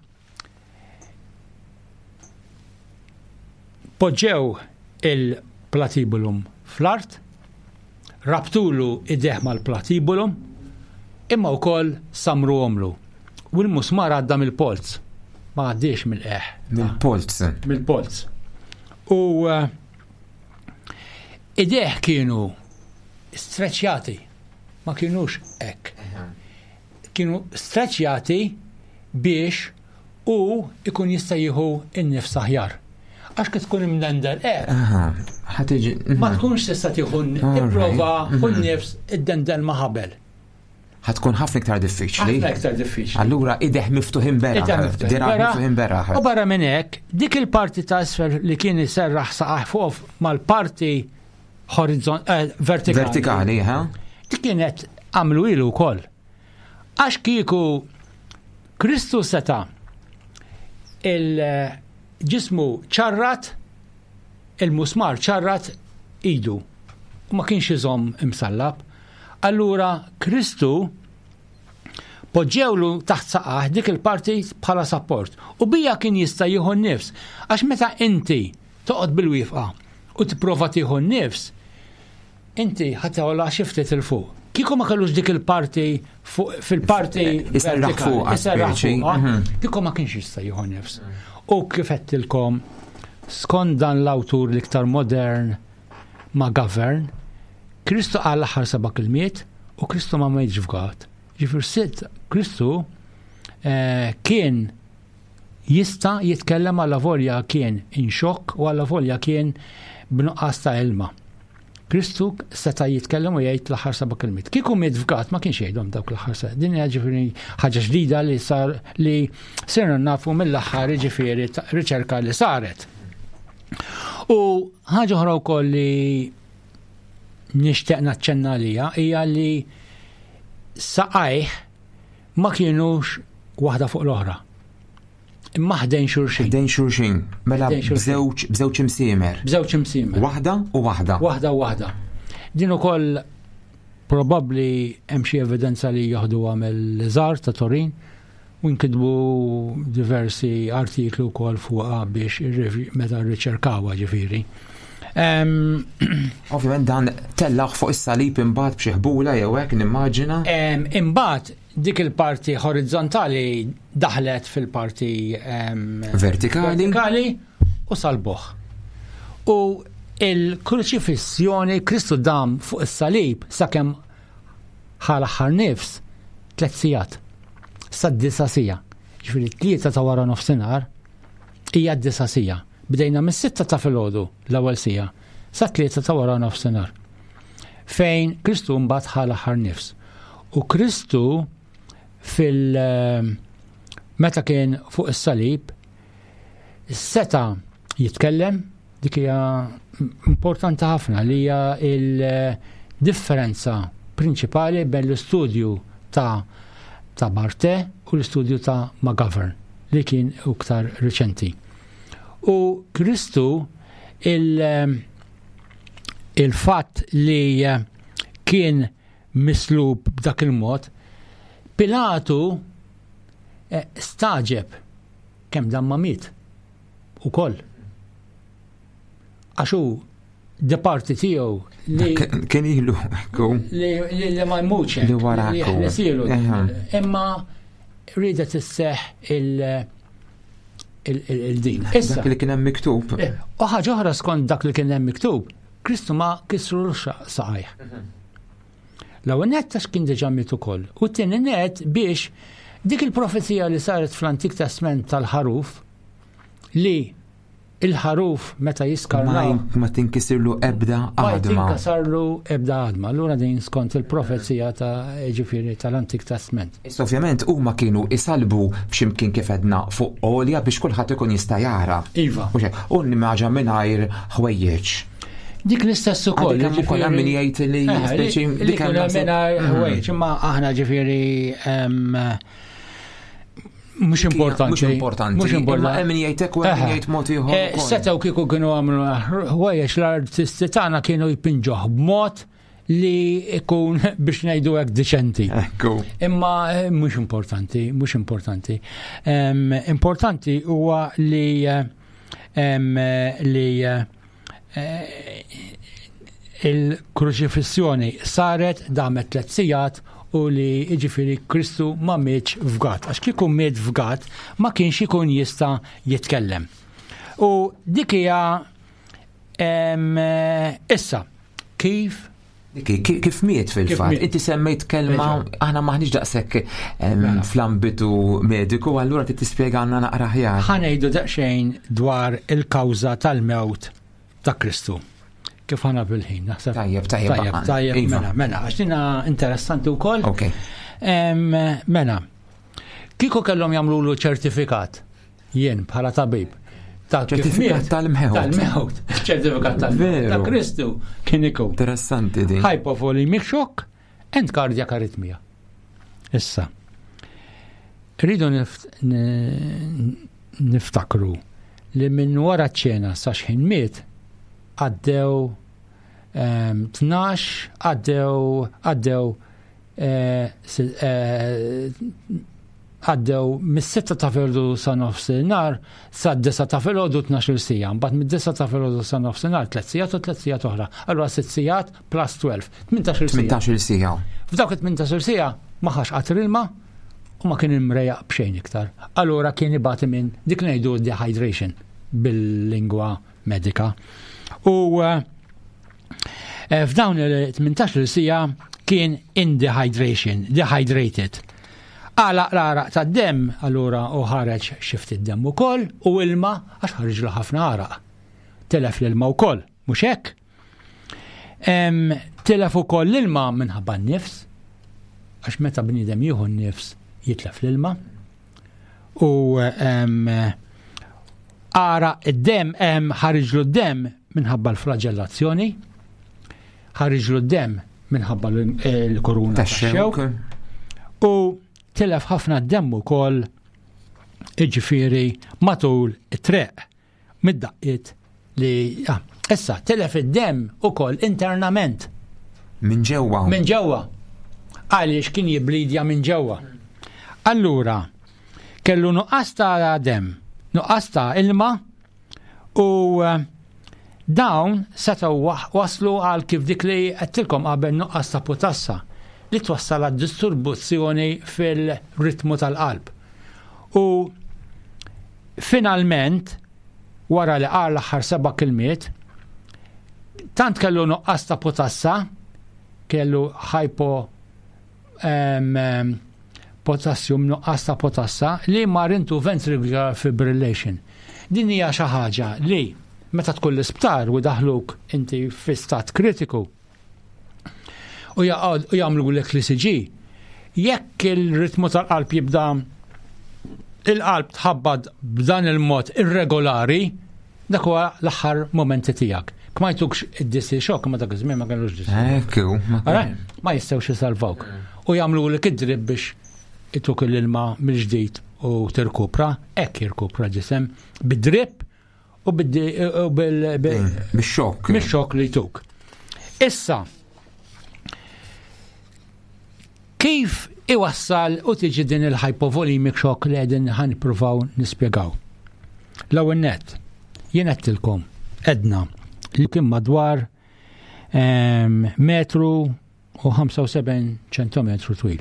Poġġew il-platibulum fl-art, rabtulu idejh mal-platibulum, imma wkoll sammruhomlu. U l-musmar għadda mill-polz, ma għaddiex mill-qeħ. Mill-polz. Mill-polz. U eh, idejh kienu streċjati, ma kienux hekk. Kienu streċjati biex hu jkun jista' jieħu n-nifs aħjar. Għax kif tkun imdendel hekk. Ma tkunx tista' tieħu ipprova hu n-nifs iddendel ma' ħabel. Ħa tkun ħafna iktar diffiċli. Ħafna iktar diffiċli. Allura ideh miftuħin beraħ. Dirgħa miftuħin beraħ. U barra minn hekk, dik il-parti ta' isfel li kien iserraħ saqajh fuq mal-parti horizon eh, vertikali. Vertikali, ha? Dik kienet għamlu ilu wkoll. Għax kieku Kristu seta' il-ġismu ċarrat, il-musmar ċarrat idu u ma kienx iżomm imsallab. Allura Kristu poġġewlu taħt saqah dik il-parti bħala sapport u bija kien jista' jieħu n-nifs għax meta inti toqgħod bil-wifqa u tipprova tieħu n-nifs Inti ħa togħla xi ftit 'il fuq. Kieku ma kellux dik il-parti fil-parti Iserraħ fuqha, iserraħ speċi. fuqha, kieku ma kienx jista' jieħu nifs. U kif għedtilkom, skont dan l-awtur l-iktar modern ma' Govern, Kristu qal l-aħħar seba' kilmiet u Kristu ma mietx fgat. Ġifier sitt Kristu eh, kien jista' jitkellem allavolja kien in xokk u allavolja kien b'nuqqas ta' ilma. Kristu seta' jitkellem u jgħid l-aħħar seba' kelmiet. Kieku miet fgat ma kienx jgħidhom dawk l-aħħar seba'. Din hija ġifieri ħaġa ġdida li sar li sirna nafu mill-aħħar ġifieri riċerka li saret. U ħaġa oħra wkoll li nixtieq naċċenna għalija hija li saqajh ma kienux waħda fuq l-oħra. Imma ħdejn xulxin. Ħdejn xulxin. Mela bżewġ bżewġ imsiemer. Bżewġ imsiemer. Waħda u waħda. Waħda u waħda. Din ukoll probabbli hemm xi evidenza li jaħduha mill-żar ta' Torin u nkitbu diversi artikli wkoll fuqha biex meta rriċerkawha ġifieri. Ovvjament dan tellaħ fuq is-salib imbagħad b'xi ħbula jew hekk nimmaġina. Imbagħad dik il-parti horizzontali daħlet fil-parti vertikali. vertikali u salbuh. U il-kruċifissjoni Kristu dam fuq is-salib sakemm ħa l-aħħar nifs tliet sigħat. Sad-disa sija. Ġifieri tlieta ta' wara nofsinhar hija d-disa sija. Bdejna mis-sitta ta' filgħodu l-ewwel siegħa sat-tlieta ta' wara nofsinhar. Fejn Kristu mbagħad ħa l-aħħar nifs. U Kristu fil- meta kien fuq is-salib seta' jitkellem dik hija importanti ħafna li hija il-differenza prinċipali bejn l-istudju ta' ta' Barte u l-istudju ta' McGovern li kien iktar riċenti. U Kristu il- il-fatt li kien mislub b'dak il-mod, Pilatu eh, staġeb kemm dan ma miet ukoll. Għax hu departi tiegħu li Kien ilu, ekku. li, li, li ma jmutx Li wara li ekku. jeħlesilu. Eħe. Imma ridet isseħ il- il- il- il-din. Issa, Dak li kien hemm miktub. eh, u ħaġa oħra skont dak li kien hemm miktub, Kristu ma kisru saqajh. L-ewwel nett għax kien diġà miet ukoll. U t-tieni nett biex dik il-profezija li saret fl-Antik Testament tal-ħaruf li il-ħaruf meta Ma jiskarnaw ma tinkisirlu ebda ma għadma. jinkasarlu ebda għadma. Allura din skont il-profezija ta' ġifieri tal-Antik Testament. Issa ovvjament huma kienu isalbu f'ximkien kif edna fuq għolja biex kulħadd ikun jista' jara. Iva. U xejn, U nimmaġa mingħajr ħwejjeġ. Dik l-istess ukoll. Għandek hemm ukoll hemm min jgħid li Eh, speċi li dik kien hemm hemm naħseb- mingħajr ħwejjeġ, imma aħna ġifieri em, mhux importanti. Mhux importanti. Mhux Imma importanti. hemm min jgħid hekk u hemm min Eħe. jgħid mod ieħor Eh, ukoll. Setgħu kieku kienu għamlu ħwejjeġ l-artisti tagħna kienu jpinġuh b'mod li ikun biex ngħidu hekk diċenti. Ekku. Imma eh, mhux importanti, mhux importanti. Em, importanti huwa li eh, em, eh, li eh, eh, il-kruċifissjoni saret damet tliet sigħat u li jiġifieri Kristu ma mietx fgat. Għax kieku miet fgat ma kienx ikun jista' jitkellem. U dik hija em, eh, issa kif Ki- ki- Kif miet fil-fatt? miet? Inti semmejt kelma, aħna maħniex daqshekk em, Mela. fl-ambitu mediku, allura trid tispjega għandna naqra aħjar. ħanejdu daqsxejn dwar il-kawża tal-mewt ta' Kristu. Kif ħana bil-ħin, naħseb. Tajjeb, tajjeb, Tajjeb, baqa' tajjeb, Iva. mela, mela, għax dina interessanti wkoll. Ok. Em, Mela, kieku kellhom jagħmlulu ċertifikat, jien bħala tabib. Ta' kif Ċertifikat miet, tal-mewt. Tal-mewt. Ċertifikat tal-mewt. Veru. Ta' Kristu kien ikun. Interessanti din. Hypovolemic shock and cardiac arrhythmia. Issa, rridu nift- ni- niftakru li minn wara ċ-ċena sa xħin miet għaddew em, 12 għaddew għaddew eh, si- eh, għaddew mis-sitta ta' filgħodu sa nofsinhar sa d-disa ta' filgħodu 12 sija, mbagħad mid-disa ta' filgħodu sa nofsinhar tliet sigħat u tliet sigħat oħra. Allura sitt sigħat plus 12, 18 sija. 18 sija. F'dawk it-18 sija ma ħax qatr ilma u ma kien imrejaq b'xejn iktar. Allura kien ibati minn dik ngħidu dehydration bil-lingwa medika. U eh, eh, f'dawn il-18 sija kien in dehydration, dehydrated. Għala l-araq ta' dem, allura u ħareġ xift id-dem ukoll u ilma għax ħarġlu ħafna araq. Telef l-ilma wkoll, mhux hekk? Em, Tilef ukoll l-ilma minħabba n-nifs, għax meta bniedem jieħu n-nifs jitlef l-ilma. U em, ara id-dem em, ħariġlu d-dem minħabba l-flagellazzjoni, ħariġlu d-dem minħabba l- l-koruna Tax-xewk. tax-xewk u tilef ħafna d-dem ukoll iġifieri matul it-treq mid-daqqiet li ah, issa tilef id-dem ukoll internament Minn ġewwa. minn ġewwa għaliex kien jiblidja minn ġewwa. Allura, kellu nuqqas ta' dem, nuqqas ta' ilma u eh, dawn setgħu wa- waslu għal kif dik li għedtilkom qabel nuqqas ta' potassa li twassal għad disturbuzzjoni fil-ritmu tal-qalb. U finalment, wara li qal l-aħħar seba' kilmiet, tant kellu nuqqas ta' potassa, kellu hypo em, em, potassium nuqqas ta' potassa li mar into ventricular fibrillation. Din hija xi ħaġa li meta tkun l-isptar u daħluk inti fi stat kritiku u jagħmlu lek l-ECG, jekk il-ritmu tal-qalb jibda il-qalb tħabbad b'dan il-mod irregolari, dak huwa l-aħħar momenti tiegħek. Kma jtukx id-DC shock, ma dak iż-żmien ma kellux DC. Ekku. Ma jistgħux jisalvawk. U jagħmlu lek id-drib biex ituk l-ilma mill-ġdid u tirkupra, hekk jirkupra ġisem bid-drib u bil Bix-xokk. Bix-xokk li jtuk. Issa, kif iwassal u tiġi din il-hypovolemic shock li qegħdin ħan nippruvaw nispjegaw. L-ewwel nett, jien għedtilkom edna li kien madwar ehm, metru u 75 ċentometru twil.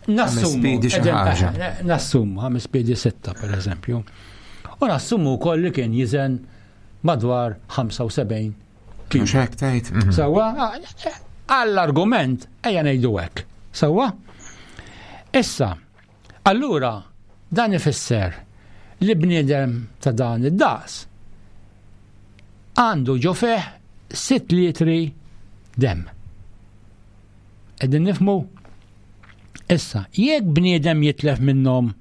Nassumu, eh, nassumu, ħames piedi sitta per eżempju. U nassumu wkoll li kien jiżen madwar 75 kilo. Mhux hekk tgħid. Mhm. Sewwa, għall-argument ejja ngħidu hekk. Sewwa? Issa, allura dan ifisser li bniedem ta' dan id-daqs għandu ġo fih 6 litri dem. Qegħdin nifmu? Issa, jekk bniedem jitlef minnhom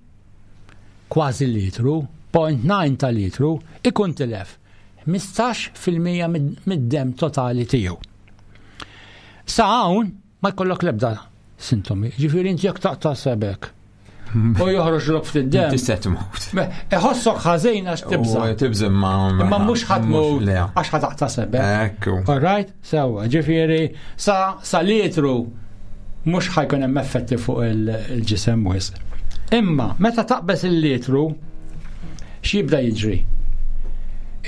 kważi litru, 0.9 ta' litru, ikun tilef 15% mid-dem totali tiegħu. Sa hawn ma jkollok l-ebda sintomi. Ġifieri inti jekk taqta' sebek u joħroġ l ftit dem. Tista' tmut. Iħossok ħażin għax tibża. Tibża ma. Imma mhux ħadd mut għax ħa taqta' sebek. Ekku. All right? Sewwa, ġifieri sa sa litru mhux ħajkun hemm effetti fuq il-ġisem wisq. Imma meta taqbeż il-litru x'jibda jiġri?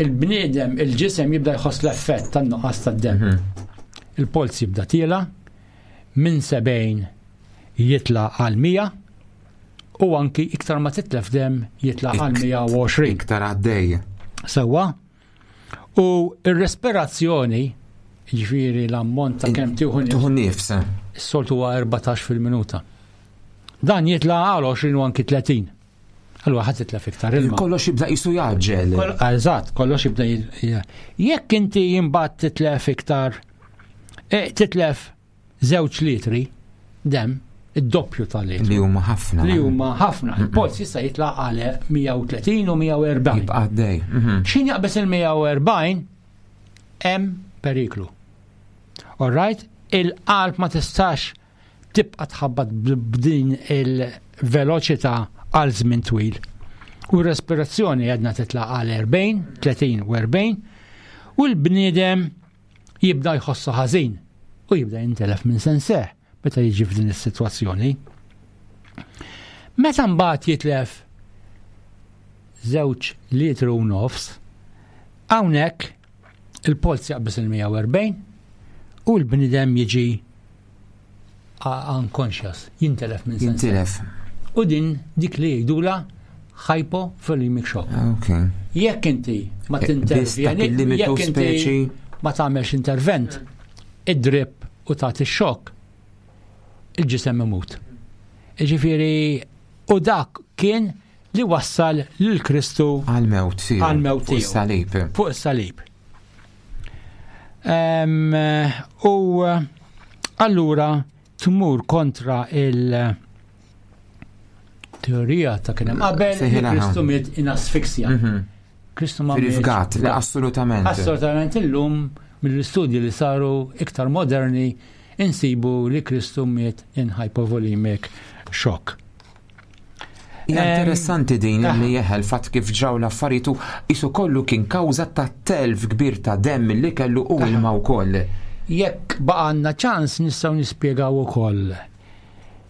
Il-bniedem, il-ġisem jibda jħoss l-effett tan-nuqqas tad-dem. Mhm. Il-polz jibda tiela minn 70 jitla għal 100 u anki iktar ma titlef dem jitla għal 120. Iktar għaddej. Sewwa, U r-respirazzjoni, ġifieri l-ammont ta' kemm tieħu nifs. Tieħu nifs. Is-soltu huwa 14 fil-minuta. Dan jitla għal 20 u anki 30. Allura ħadd titlef iktar ilma. Kollox jibda jisu jaġġel. Eżatt, kollox jibda Jekk inti imbagħad titlef iktar, eh, titlef żewġ litri demm, id-doppju tal-litru. Li huma ħafna. Li huma ħafna. Il-polz jista' jitla' għal 130 u 140. Jibqa' għaddej. Mhm. X'in jaqbeż il-140 hemm periklu. All right? Il-qalb ma tistax tibqa' tħabbat b'din il-veloċità għal żmien twil. U r-respirazzjoni għedna titla' għal 40, 30 u 40 u l-bniedem jibda jħossu ħażin u jibda jintelef minn senseh meta jiġi f'din is-sitwazzjoni. Meta mbagħad jitlef żewġ litru u nofs, hawnhekk il-polz jaqbeż il-140 u l-bnidem jiġi unconscious, jintelef minn senseh. Jintelef. U din dik li jgħidula hypovolemic shock. Okay. Jekk inti ma eh, tintervjeni, jekk inti ma tagħmelx intervent, id-drip u tagħti xokk, il-ġisem imut. Ġifieri u dak kien li wassal lil Kristu għal-mewt tiegħu. Għal-mewt tiegħu. Fuq is-salib. Fuq is-salib. U allura tmur kontra il- teorija ta' kien hemm qabel li Kristu miet in asfiksja. Mhm. Kristu ma Fil-fgat, li assolutament. Assolutament illum mill-istudji li saru iktar moderni insibu li Kristu miet in hypovolemic shock. Hija interessanti din ah. li jeħel fatt kif ġraw l-affarijiet u isu kollu kien kawża ta' telf kbir ta' demm li kellu u ilma wkoll. Jekk baqgħanna ċans nistgħu nispjegaw ukoll.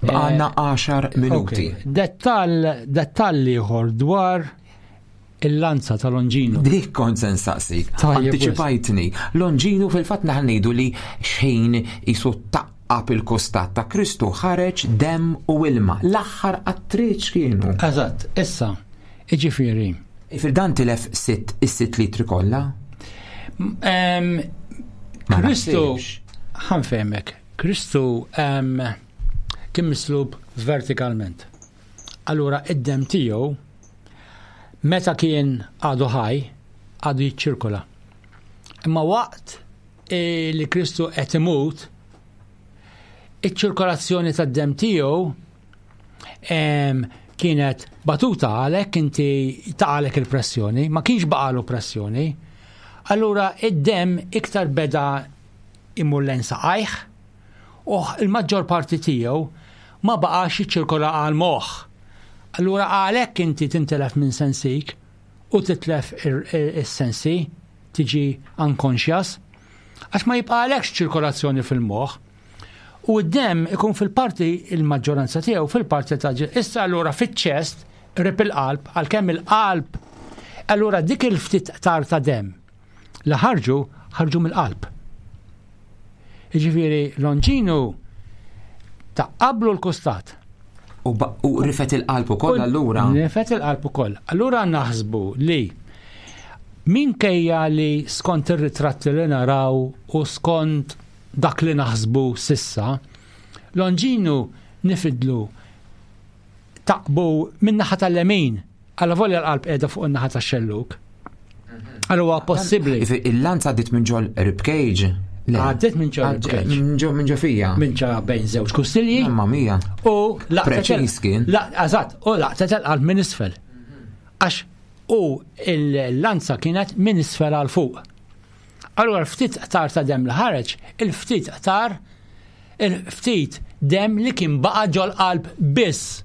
Baqgħanna 10 eh, minuti. Dettall dettall ieħor dwar il-lanza ta' Longino. Dik kont se nsaqsik. Antiċipajtni. Longino fil-fatt naħal ngħidu li xejn isu taqqab il-kostat ta' Kristu ħareġ demm u ilma. L-aħħar attriċ kienu. Eżatt, issa, iġifieri. Fil-dan tilef sitt is-sitt litri kollha? Kristu, ħanfehmek, Kristu kien mislub vertikalment. Allura id-demm tiegħu. Meta kien għadu ħaj, għadu jiċċirkola. Imma waqt eh, li Kristu qed imut, iċ-ċirkolazzjoni tad-demm tiegħu kienet batuta għalhekk inti taqalek il-pressjoni, ma kienx baqalu pressjoni. Allura id-demm iktar beda imur lejn saqajh u il-maġġor parti tiegħu ma baqax jiċċirkola għal moħħ. Allura għalhekk inti tintelef minn sensik u titlef is-sensi, tiġi unconscious, għax ma jibqalekx ċirkolazzjoni fil-moħħ. U d-demm ikun fil-parti il-maġġoranza tiegħu fil-parti ta' issa allura fiċ-ċest qrib il-qalb għalkemm il-qalb allura dik il-ftit tar ta' demm li ħarġu ħarġu mill-qalb. Jiġifieri Longinu ta' qablu l-kustat. U, u rifet il-qalb ukoll allura. Rifet il-qalb ukoll. Allura naħsbu li minkejja li skont ir-ritratti li naraw u skont dak li naħsbu sissa, Longinu nifidlu taqbu min-naħa tal-lemin, għalla volja l-qalb qiegħda fuq in-naħa tax-xelluk. Għal huwa possibbli. Il-lanza għaddit minn ġol ribcage. Għaddit minn ġol ribcage. Minn ġo fija. Minn ġo bejn żewġ kustilji. Mamma mia. U laqtet. kien. Eżatt, u laqtet il-qalb minn isfel. Għax u il-lanza kienet minn isfel għal fuq. Allura ftit qtar ta' dem li ħareġ, il-ftit qtar il-ftit dem li kien baqa' ġol-qalb biss.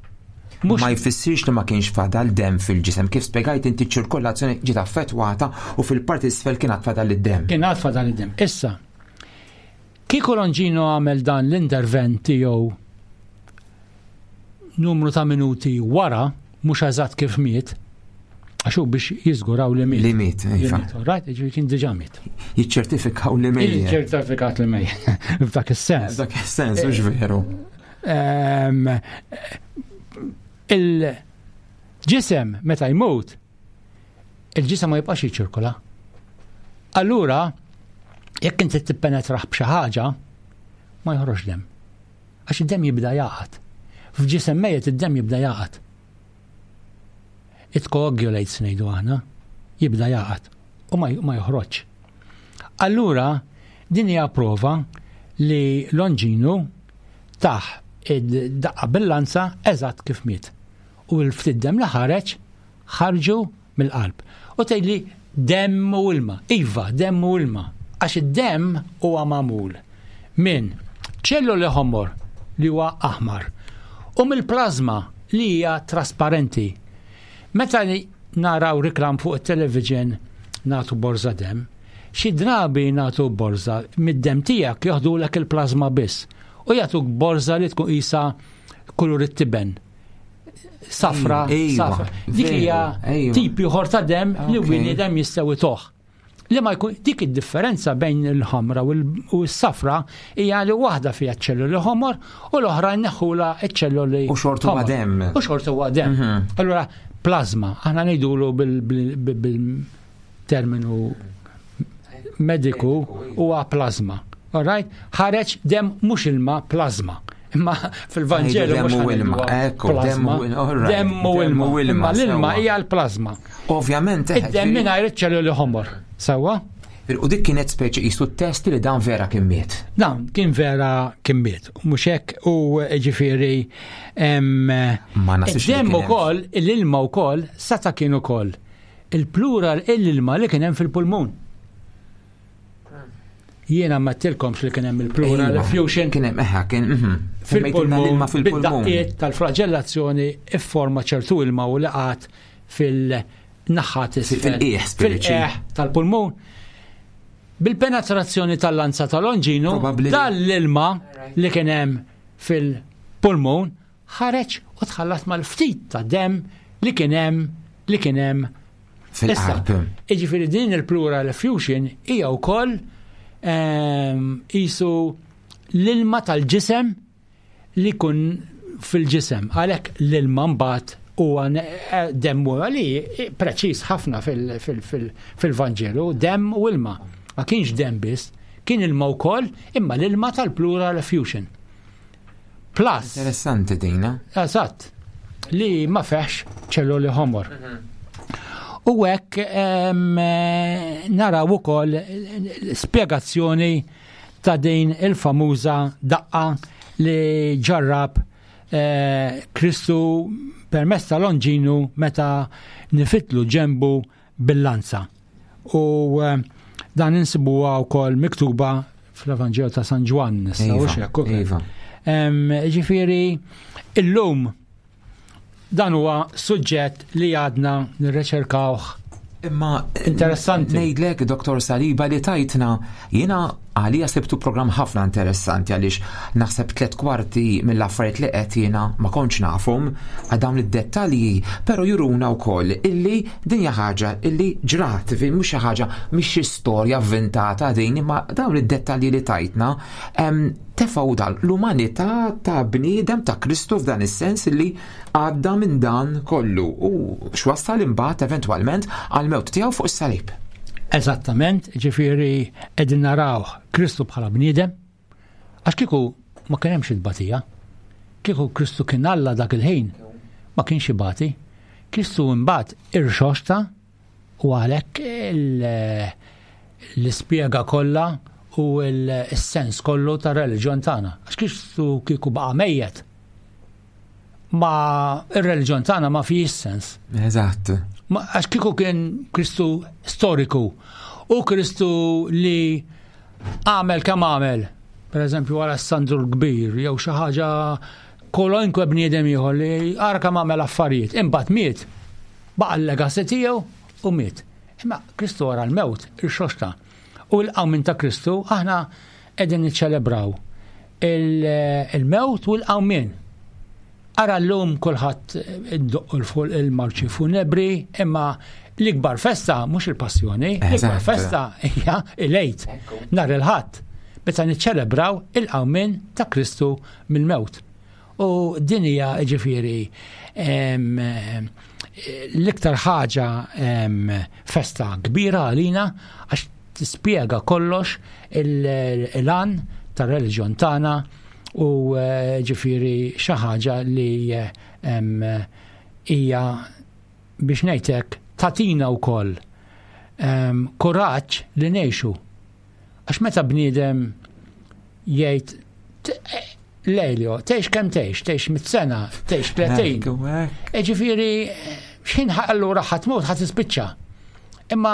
Mux... Ma jfissirx li ma kienx fadal dem fil-ġisem. Kif spjegajt inti ċirkolazzjoni ġiet affettwata u fil-parti isfel kien għad fadal id-dem. Kien għad fadal id-dem. Issa, kieku Longino għamel dan l-intervent tiegħu numru ta' minuti wara, mhux eżatt kif miet, għax hu biex jiżguraw li miet. Li miet, iva. Right, ġifieri kien diġà miet. Jiċċertifikaw li miet. Jiċċertifikat li miet. F'dak is-sens. F'dak is-sens, mhux veru. Ehm, il-ġisem meta jmut, il-ġisem ma jibqax jiċirkola. Allura, jekk inti tippenetraħ b'xi ħaġa, ma joħroġ dem. Għax id-dem jibda jaqgħad. F'ġisem mejjet id-dem jibda jaqgħad. It coagulates ngħidu aħna, jibda jaqgħad u ma joħroġ. Allura, din hija prova li Longinu taħ id-daqqa bil-lanza eżatt kif miet. U l-ftit dem li ħareġ ħarġu mill-qalb. U tgħidli demm u ilma. Iva, demm u ilma. Għax id-demm huwa magħmul minn ċelluli ħomor li huwa aħmar u mill-plażma li hija trasparenti. Meta naraw riklam fuq it-television nagħtu borża demm, xi drabi nagħtu borża mid-demm tiegħek joħdulek il-plażma biss u jagħtuk borża li tkun qisha kulur it-tiben. Safra, safra. Dik hija tip ieħor ta' dem li bniedem jistgħu itoh. Li ma jkun dik id-differenza bejn il-ħamra u s-safra hija li waħda fiha ċelluli ħomor u l-oħra nneħħula ċ-ċelluli. U xortu huwa demm. U xortu huwa demm. Mhm. Allura plasma, aħna ngħidulu bil-terminu mediku huwa plasma. All right? Ħareġ dem mhux ilma plasma. Imma fil-Vanġelu mhux u ilma, ekku, dem u ilma. Imma l-ilma hija l-plasma. Ovvjament. Eh, Id-dem mingħajr iċ-ċelluli ħomor. Sewwa? U dik kienet speċi qisu test li dan vera kien miet. Dan kien vera kien miet. Mhux hekk u ġifieri Ma nasibx. Id-dem ukoll, l-ilma wkoll seta' kien ukoll il-plural il-ilma li kien hemm fil-pulmun. Jiena ma tilkomx li kien hemm il-plural effusion. Kien hemm eħa kien mhm. fil-pulmun fil-pulmun. tal-flagellazzjoni ifforma ċertu ilma u laqat fil-naħat fil-qiegħ fil-qiegħ tal-pulmun. Bil-penetrazzjoni tal-lanza tal-onġinu, dan l-ilma li kien hemm fil-pulmun ħareġ u tħallat mal-ftit ta' dem li kien hemm li kien hemm fil-qalb. Jiġifieri din il-pleural effusion hija wkoll ehm, qisu l-ilma tal-ġisem li kun fil-ġisem. Għalhekk l-ilma mbagħad huwa eh, demm u li preċiż ħafna fil-Vanġelu, demm u ilma. Ma kienx demm biss, kien ilma wkoll imma l-ilma tal-pleural effusion. Plus. Interessanti dina. Eżatt. Li ma feħx ċelluli ħomor. Mhm. U hekk naraw ukoll spjegazzjoni ta' din il-famuża daqqa li ġarrab eh, Kristu permezz ta' Longinu meta nifitlu ġembu bil-lanza. U eh, dan insibuha wkoll miktuba fl-Evanġelju ta' San Ġwann, iva, iva. Ġifieri illum Dan huwa suġġett li għadna nirreċerkawh. Imma interessanti. Ngħidlek Dr. Saliba li tajtna jiena għalija sibtu programm ħafna interessanti għaliex naħseb tlet kwarti mill-affarijiet li qed jiena ma kontx nafhom għal dawn id-dettalji, però juruna wkoll illi din hija ħaġa illi ġrat, mhux xi ħaġa mhix xi storja avventata din, imma dawn id-dettalji li tajtna tefgħu dan l-umanità ta' bniedem ta' Kristu f'dan is-sens li għadda minn dan kollu u x'wassal imbagħad eventwalment għall-mewt tiegħu fuq is-salib. Eżattament, ġifieri qegħdin naraw Kristu bħala bniedem, għax kieku ma kien hemmx il-batija. Kieku Kristu kien Alla dak il-ħin, ma kienx ibati. Kristu imbagħad irxoxta U għalhekk l-ispjega kollha u l-sens kollu tar-reliġjon tagħna. Għax Kristu kieku baqa' mejjet. Ma ir-reliġjon tagħna ma fihx sens. Eżatt. Għax kieku kien Kristu storiku u Kristu li għamel kemm għamel, per eżempju Alessandru l-Kbir jew xi ħaġa kolonkwe bniedem ieħor li ara kemm għamel affarijiet, imbagħad miet. Baqa' l-legacy tiegħu u miet. Imma Kristu wara l-mewt irxoxta. U l-qawmien ta' Kristu aħna qegħdin niċċelebraw il-mewt u l-qawmien. Ara llum kulħadd iddoqqu l-fuq il-marċi funebri, imma l-ikbar festa mhux il-passjoni, l-ikbar festa hija il-Għid, nhar il-Ħadd, meta niċċelebraw il-qawmien ta' Kristu mill-mewt. U din hija ġifieri l-iktar ħaġa festa kbira għalina għax tispjega kollox il-għan tar-reliġjon tagħna u eh, ġifieri xi ħaġa li hija biex ngħidlek tatina wkoll kuraġġ li ngħixu. Għax meta bniedem jgħid Lejlio, tgħix kemm tgħix, tgħix mit-sena, tgħix 30. E ġifieri x'ħin allura ħadd mut ħadd tispiċċa. Imma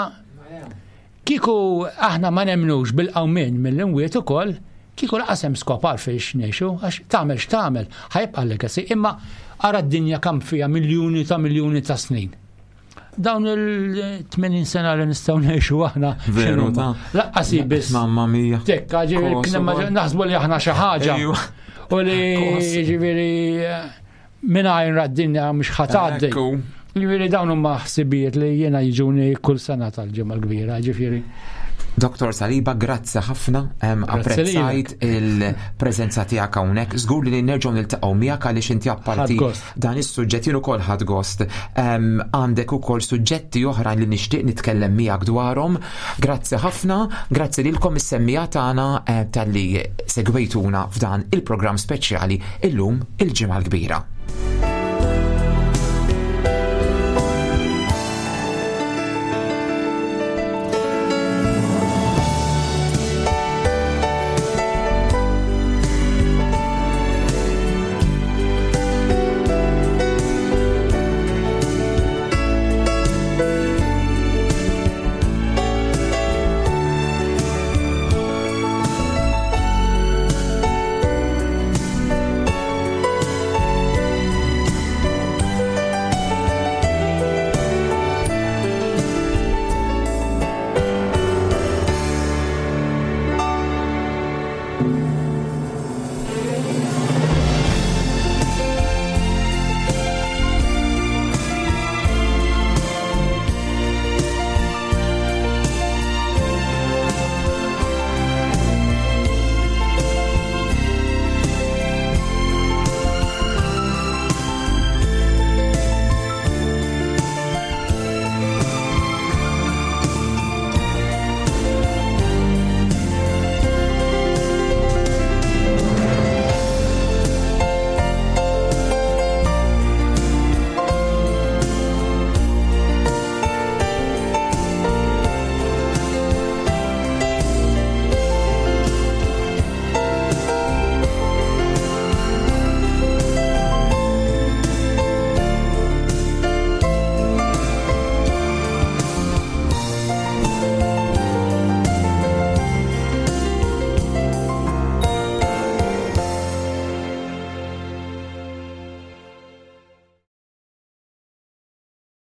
kieku aħna ma nemnux bil-qawmien mill-imwiet ukoll, kieku laqas hemm skop għalfejn ngħixu, għax tagħmel x'tagħmel, ħajbqa' legacy, imma ara d-dinja kemm fiha miljuni ta' miljuni ta' snin. Dawn il-80 sena li nistgħu ngħixu aħna. Veru ta' Laqqas biss. Mamma mia. Tekka, ġifieri naħsbu li aħna xi ħaġa. U li ġifieri mingħajr d-dinja mhux ħatgħaddi. Ġifieri dawn huma ħsibijiet li jiena jiġuni kull sena tal-ġimgħa l-kbira, ġifieri. Dr. Saliba, grazzi ħafna, apprezzajt il-preżenza tiegħek hawnhekk. Żgur li nerġgħu niltaqgħu miegħek għaliex inti apparti dan is-suġġett jien ukoll ħadd gost. Għandek ukoll suġġetti oħra li nixtieq nitkellem miegħek dwarhom. Grazzi ħafna, grazzi lilkom is-semmija tagħna eh, talli segwejtuna f'dan il-programm speċjali illum il-ġimgħa l-kbira.